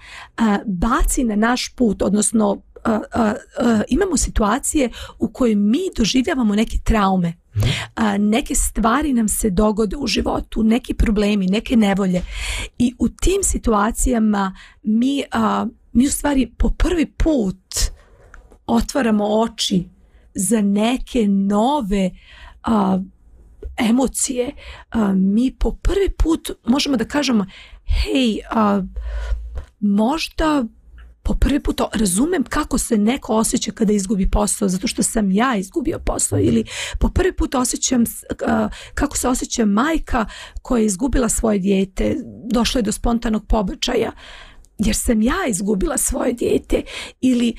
baci na naš put, odnosno imamo situacije u kojoj mi doživljavamo neke traume, neke stvari nam se dogode u životu, neki problemi, neke nevolje, i u tim situacijama mi u stvari po prvi put otvaramo oči za neke nove emocije. Mi po prvi put možemo da kažemo, hej, možda po prvi put razumem kako se neko osjeća kada izgubi posao zato što sam ja izgubio posao, ili po prvi put osjećam kako se osjeća majka koja je izgubila svoje dijete, došlo je do spontanog pobačaja jer sam ja izgubila svoje dijete. Ili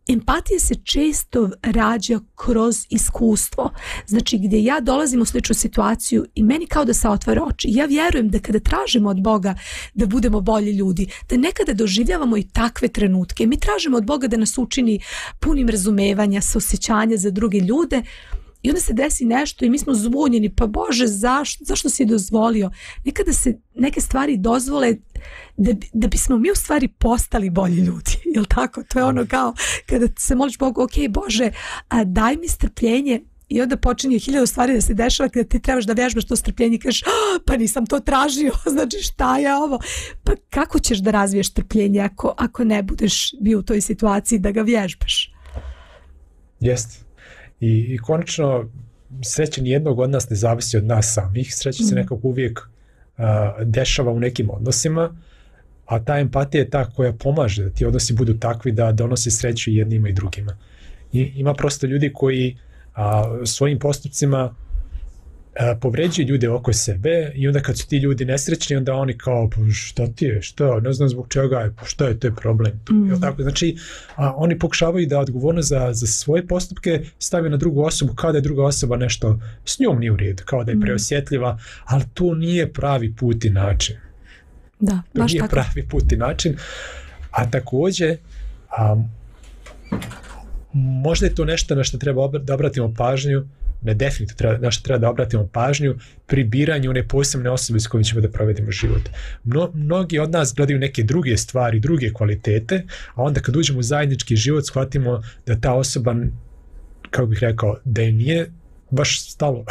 empatija se često rađa kroz iskustvo. Znači, gdje ja dolazim u sličnu situaciju i meni kao da se otvara oči. Ja vjerujem da kada tražimo od Boga da budemo bolji ljudi, da nekada doživljavamo i takve trenutke. Mi tražimo od Boga da nas učini punim razumevanja, saosjećanja za druge ljude, i onda se desi nešto i mi smo zbunjeni, pa Bože, zašto si dozvolio? Nekada se neke stvari dozvole da bismo mi u stvari postali bolji ljudi, jel tako? To je ono kao kada se moliš Bogu, ok, Bože, daj mi strpljenje, i onda počinje 1000 stvari da se dešava kada ti trebaš da vježbaš to strpljenje i kažeš, pa nisam to tražio, znači šta je ovo? Pa kako ćeš da razviješ strpljenje ako ne budeš bio u toj situaciji da ga vježbaš? Jeste. I konačno, sreća nijednog od nas ne zavisi od nas samih. Sreća se nekako uvijek dešava u nekim odnosima, a ta empatija je ta koja pomaže da ti odnosi budu takvi da donose sreću i jednima i drugima. I ima prosto ljudi koji svojim postupcima povređuju ljude oko sebe, i onda kad su ti ljudi nesrećni, onda oni kao, šta ti je, šta, ne znam zbog čega je, šta je, to je problem. Tako? Znači, oni pokušavaju da odgovornost za svoje postupke stave na drugu osobu, kao da je druga osoba nešto s njom nije u redu, kao da je preosjetljiva, ali to nije pravi put i način. Da, to nije tako pravi put i način. A također, možda je to nešto na što treba da obratimo pažnju, ne definitivno na što treba da obratimo pažnju pri biranju one posebne osobe s kojim ćemo da provedemo život. Mnogi od nas gledaju neke druge stvari, druge kvalitete, a onda kad uđemo u zajednički život shvatimo da ta osoba, kako bih rekao, da je nije baš stalo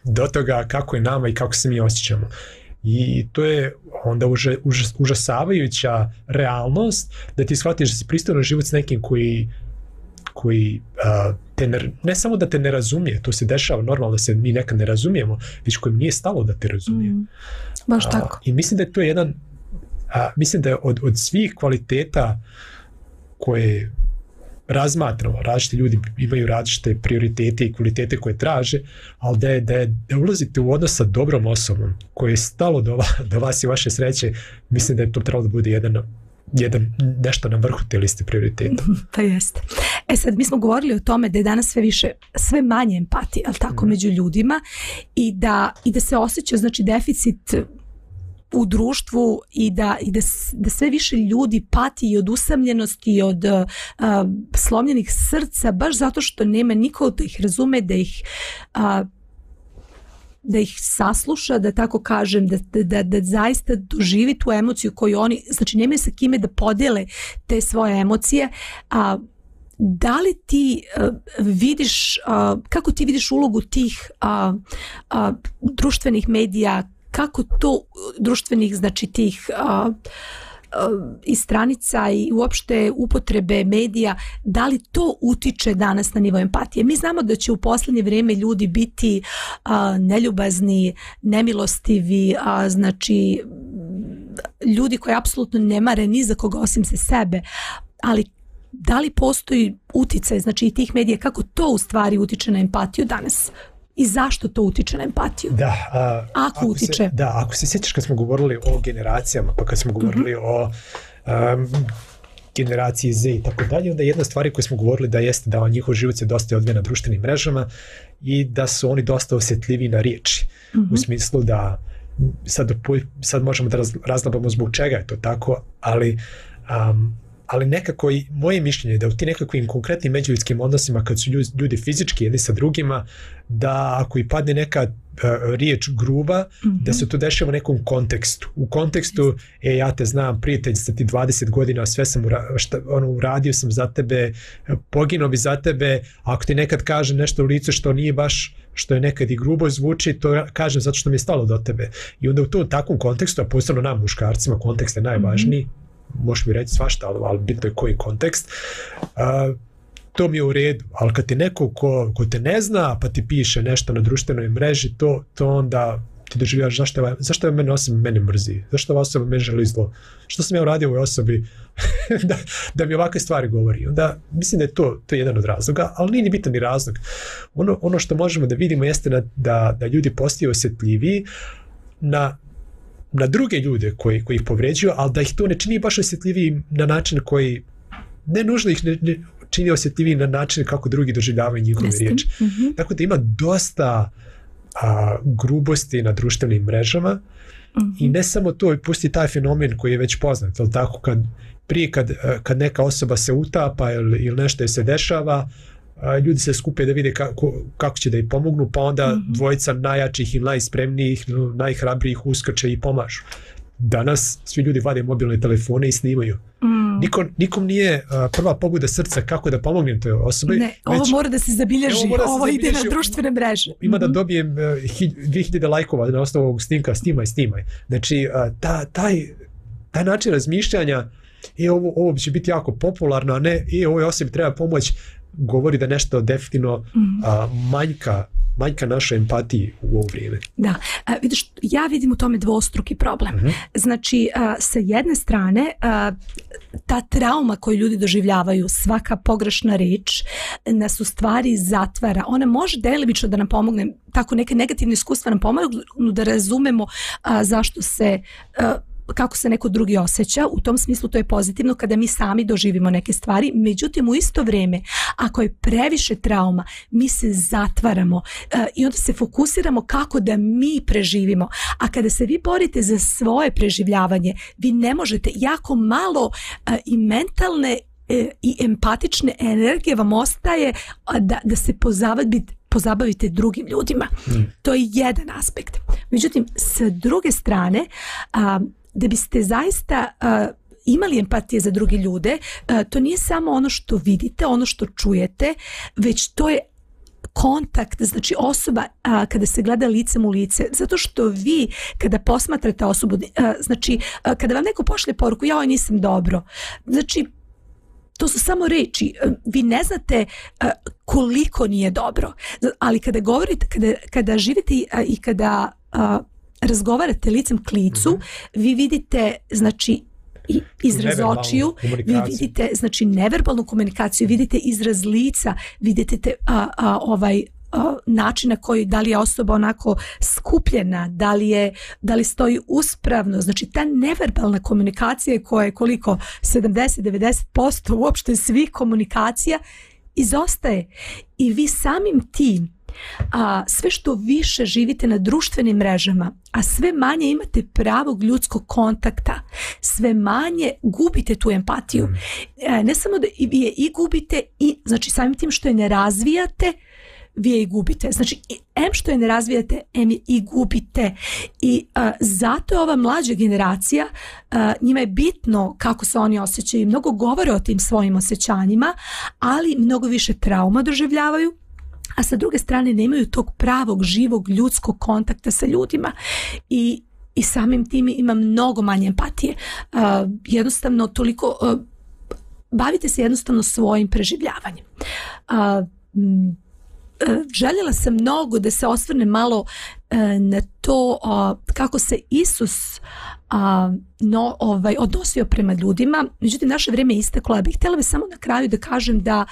do toga kako je nama i kako se mi osjećamo. I to je onda užasavajuća realnost da ti shvatiš da si pristao na život s nekim koji ne samo da te ne razumije, to se dešava normalno da se mi nekad ne razumijemo, već kojim nije stalo da te razumije. Baš tako. I mislim da je to jedan, mislim da je od svih kvaliteta koje razmatramo, različiti ljudi imaju različite prioritete i kvalitete koje traže, ali da ulazite u odnos sa dobrom osobom koje je stalo do vas i vaše sreće, mislim da je to trebalo da bude jedan nešto na vrhu te liste prioriteta. Pa jeste. Sad, mi smo govorili o tome da je danas sve manje empatije, ali tako, među ljudima, i da se osjeća, znači, deficit u društvu i da sve više ljudi pati i od usamljenosti i od slomljenih srca, baš zato što nema niko da ih razume, da ih sasluša, da tako kažem, da zaista doživi tu emociju koju oni, znači nemaju sa kime da podijele te svoje emocije, da li ti vidiš, kako ti vidiš ulogu tih društvenih medija, kako to društvenih, znači tih i stranica i uopšte upotrebe medija, da li to utiče danas na nivo empatije? Mi znamo da će u posljednje vrijeme ljudi biti neljubazni, nemilostivi, znači ljudi koji apsolutno ne mare ni za koga osim se sebe, ali da li postoji uticaj, znači i tih medija, kako to u stvari utiče na empatiju danas? I zašto to utiče na empatiju? Da, ako utiče. Ako se sjećaš kad smo govorili o generacijama, pa kad smo govorili o generaciji Z i tako dalje, onda jedna stvar koju smo govorili da jeste da njihov život se dosta odvija na društvenim mrežama i da su oni dosta osjetljivi na riječi. U smislu da sad možemo da razlabamo zbog čega je to tako, ali nekako i moje mišljenje je da u ti nekakvim konkretnim međuljudskim odnosima kad su ljudi fizički jedni sa drugima, da ako i padne neka riječ gruba, da se to dešava u nekom kontekstu. U kontekstu, ja te znam, prijatelj sa ti 20 godina, sve sam uradio sam za tebe, poginuo bi za tebe, ako ti nekad kaže nešto u licu što nije baš, što je nekad i grubo zvuči, to kažem zato što mi je stalo do tebe. I onda u tom takvom kontekstu, a posebno nam muškarcima, kontekst je najvažniji, možeš mi reći svašta, ali bitno je koji kontekst, to mi je u redu, ali kad ti neko ko te ne zna pa ti piše nešto na društvenoj mreži, to onda ti doživljaš zašto je mene mrzi, zašto ova osoba mene želi zlo, što sam ja uradio ovoj osobi da mi ovakve stvari govori. Onda mislim da je to jedan od razloga, ali nije ni bitan ni razlog. Ono što možemo da vidimo jeste da ljudi postaju osjetljiviji na druge ljude koji ih povređuju, ali da ih to ne čini baš osjetljiviji na način koji ne nužno ih ne čini osjetljiviji na način kako drugi doživljavaju njihove riječi. Tako da ima dosta grubosti na društvenim mrežama i ne samo to, pusti taj fenomen koji je već poznat, ali tako kad neka osoba se utapa ili nešto se dešava, ljudi se skupe da vide kako će da ih pomognu, pa onda dvojica najjačih i najspremnijih, najhrabrijih uskače i pomažu. Danas svi ljudi vade mobilne telefone i snimaju. Nikom nije prva pobuda srca kako da pomognem toj osobi. Ne, ovo mora da se zabilježi, ovo ide na društvene mreže. Ima da dobijem 2000 lajkova na osnovu ovog snimka, snimaj. Znači, taj način razmišljanja, ovo će biti jako popularno, a ne, ovoj osobi treba pomoć, govori da nešto definitivno manjka naše empatiji u ovo vrijeme. Da, vidiš, ja vidim u tome dvostruki problem. Znači, sa jedne strane, ta trauma koju ljudi doživljavaju, svaka pogrešna riječ, nas u stvari zatvara. Ona može delimično da nam pomogne, tako neke negativne iskustva nam pomognu da razumemo zašto se kako se neko drugi osjeća, u tom smislu to je pozitivno kada mi sami doživimo neke stvari, međutim u isto vrijeme ako je previše trauma mi se zatvaramo i onda se fokusiramo kako da mi preživimo, a kada se vi borite za svoje preživljavanje vi ne možete, jako malo i mentalne i empatične energije vam ostaje da se pozabavite drugim ljudima. To je jedan aspekt. Međutim, sa druge strane, da biste zaista imali empatije za druge ljude, to nije samo ono što vidite, ono što čujete, već to je kontakt, znači osoba kada se gleda licem u lice, zato što vi kada posmatrate osobu, znači kada vam neko pošle poruku, ja nisam dobro, znači to su samo reči, vi ne znate koliko nije dobro, ali kada govorite, kada živite i kada razgovarate licem k licu, vi vidite, znači, izraz očiju, vi vidite, znači, neverbalnu komunikaciju, vidite izraz lica, vidite način na koji, da li je osoba onako skupljena, da li stoji uspravno, znači ta neverbalna komunikacija koja je koliko 70-90% uopšte svih komunikacija izostaje i vi samim tim sve što više živite na društvenim mrežama, a sve manje imate pravog ljudskog kontakta, sve manje gubite tu empatiju. Ne samo da vi je i gubite, i znači samim tim što je ne razvijate, vi je i gubite. Znači, em što je ne razvijate, em je i gubite. I zato je ova mlađa generacija, njima je bitno kako se oni osjećaju, mnogo govore o tim svojim osjećanjima, ali mnogo više trauma doživljavaju, a sa druge strane nemaju tog pravog, živog, ljudskog kontakta sa ljudima i samim tim ima mnogo manje empatije. Jednostavno toliko bavite se jednostavno svojim preživljavanjem. Željela sam mnogo da se osvrne malo na to kako se Isus odnosio prema ljudima. Međutim, naše vrijeme je isteklo. Ja bih htjela samo na kraju da kažem da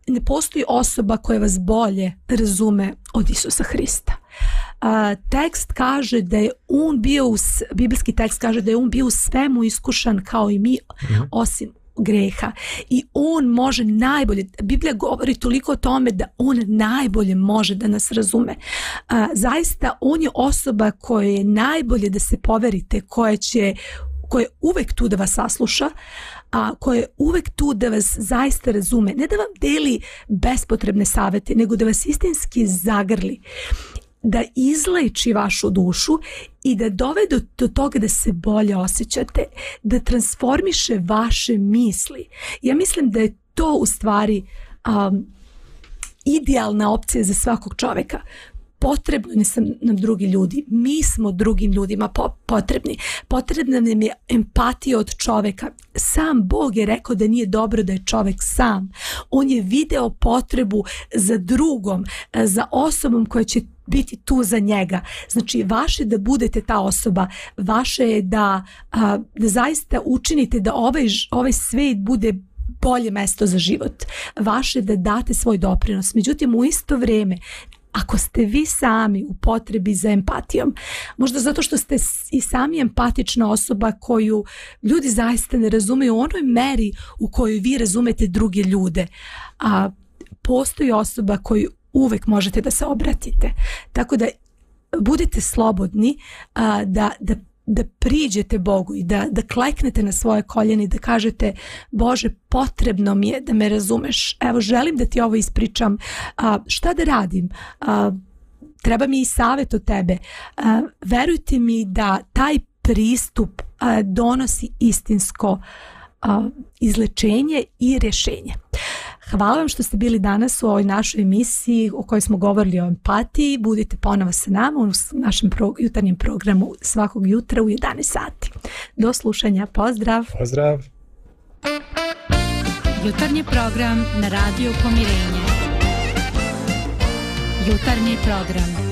ne postoji osoba koja vas bolje razume od Isusa Hrista. Tekst kaže da je on bio, biblijski tekst kaže da je on bio u svemu iskušan kao i mi, osim greha. I on može najbolje, Biblija govori toliko o tome da on najbolje može da nas razume. Zaista on je osoba koja je najbolje da se poverite, koja je uvek tu da vas sasluša, koja je uvek tu da vas zaista razume. Ne da vam deli bespotrebne savjete, nego da vas istinski zagrli, da izleči vašu dušu i da dovede do toga da se bolje osjećate, da transformiše vaše misli. Ja mislim da je to u stvari idealna opcija za svakog čovjeka. Potrebni su nam drugi ljudi. Mi smo drugim ljudima potrebni. Potrebna nam je empatija od čovjeka. Sam Bog je rekao da nije dobro da je čovjek sam. On je video potrebu za drugom, za osobom koja će biti tu za njega. Znači, vaše da budete ta osoba, vaše je da zaista učinite da ovaj svijet bude bolje mesto za život. Vaše da date svoj doprinos. Međutim, u isto vrijeme, ako ste vi sami u potrebi za empatijom, možda zato što ste i sami empatična osoba koju ljudi zaista ne razumeju u onoj meri u kojoj vi razumete druge ljude, postoji osoba koju uvek možete da se obratite. Tako da budete slobodni da priđete Bogu i da kleknete na svoje koljene i da kažete: Bože, potrebno mi je da me razumeš. Evo, želim da ti ovo ispričam. Šta da radim? Treba mi i savjet od tebe. Verujte mi da taj pristup donosi istinsko izlečenje i rješenje. Hvala vam što ste bili danas u ovoj našoj emisiji u kojoj smo govorili o empatiji. Budite ponovo sa nama u našem jutarnjem programu svakog jutra u 11 sati. Do slušanja. Pozdrav. Pozdrav. Jutarnji program na Radio Pomirenje. Jutarnji program.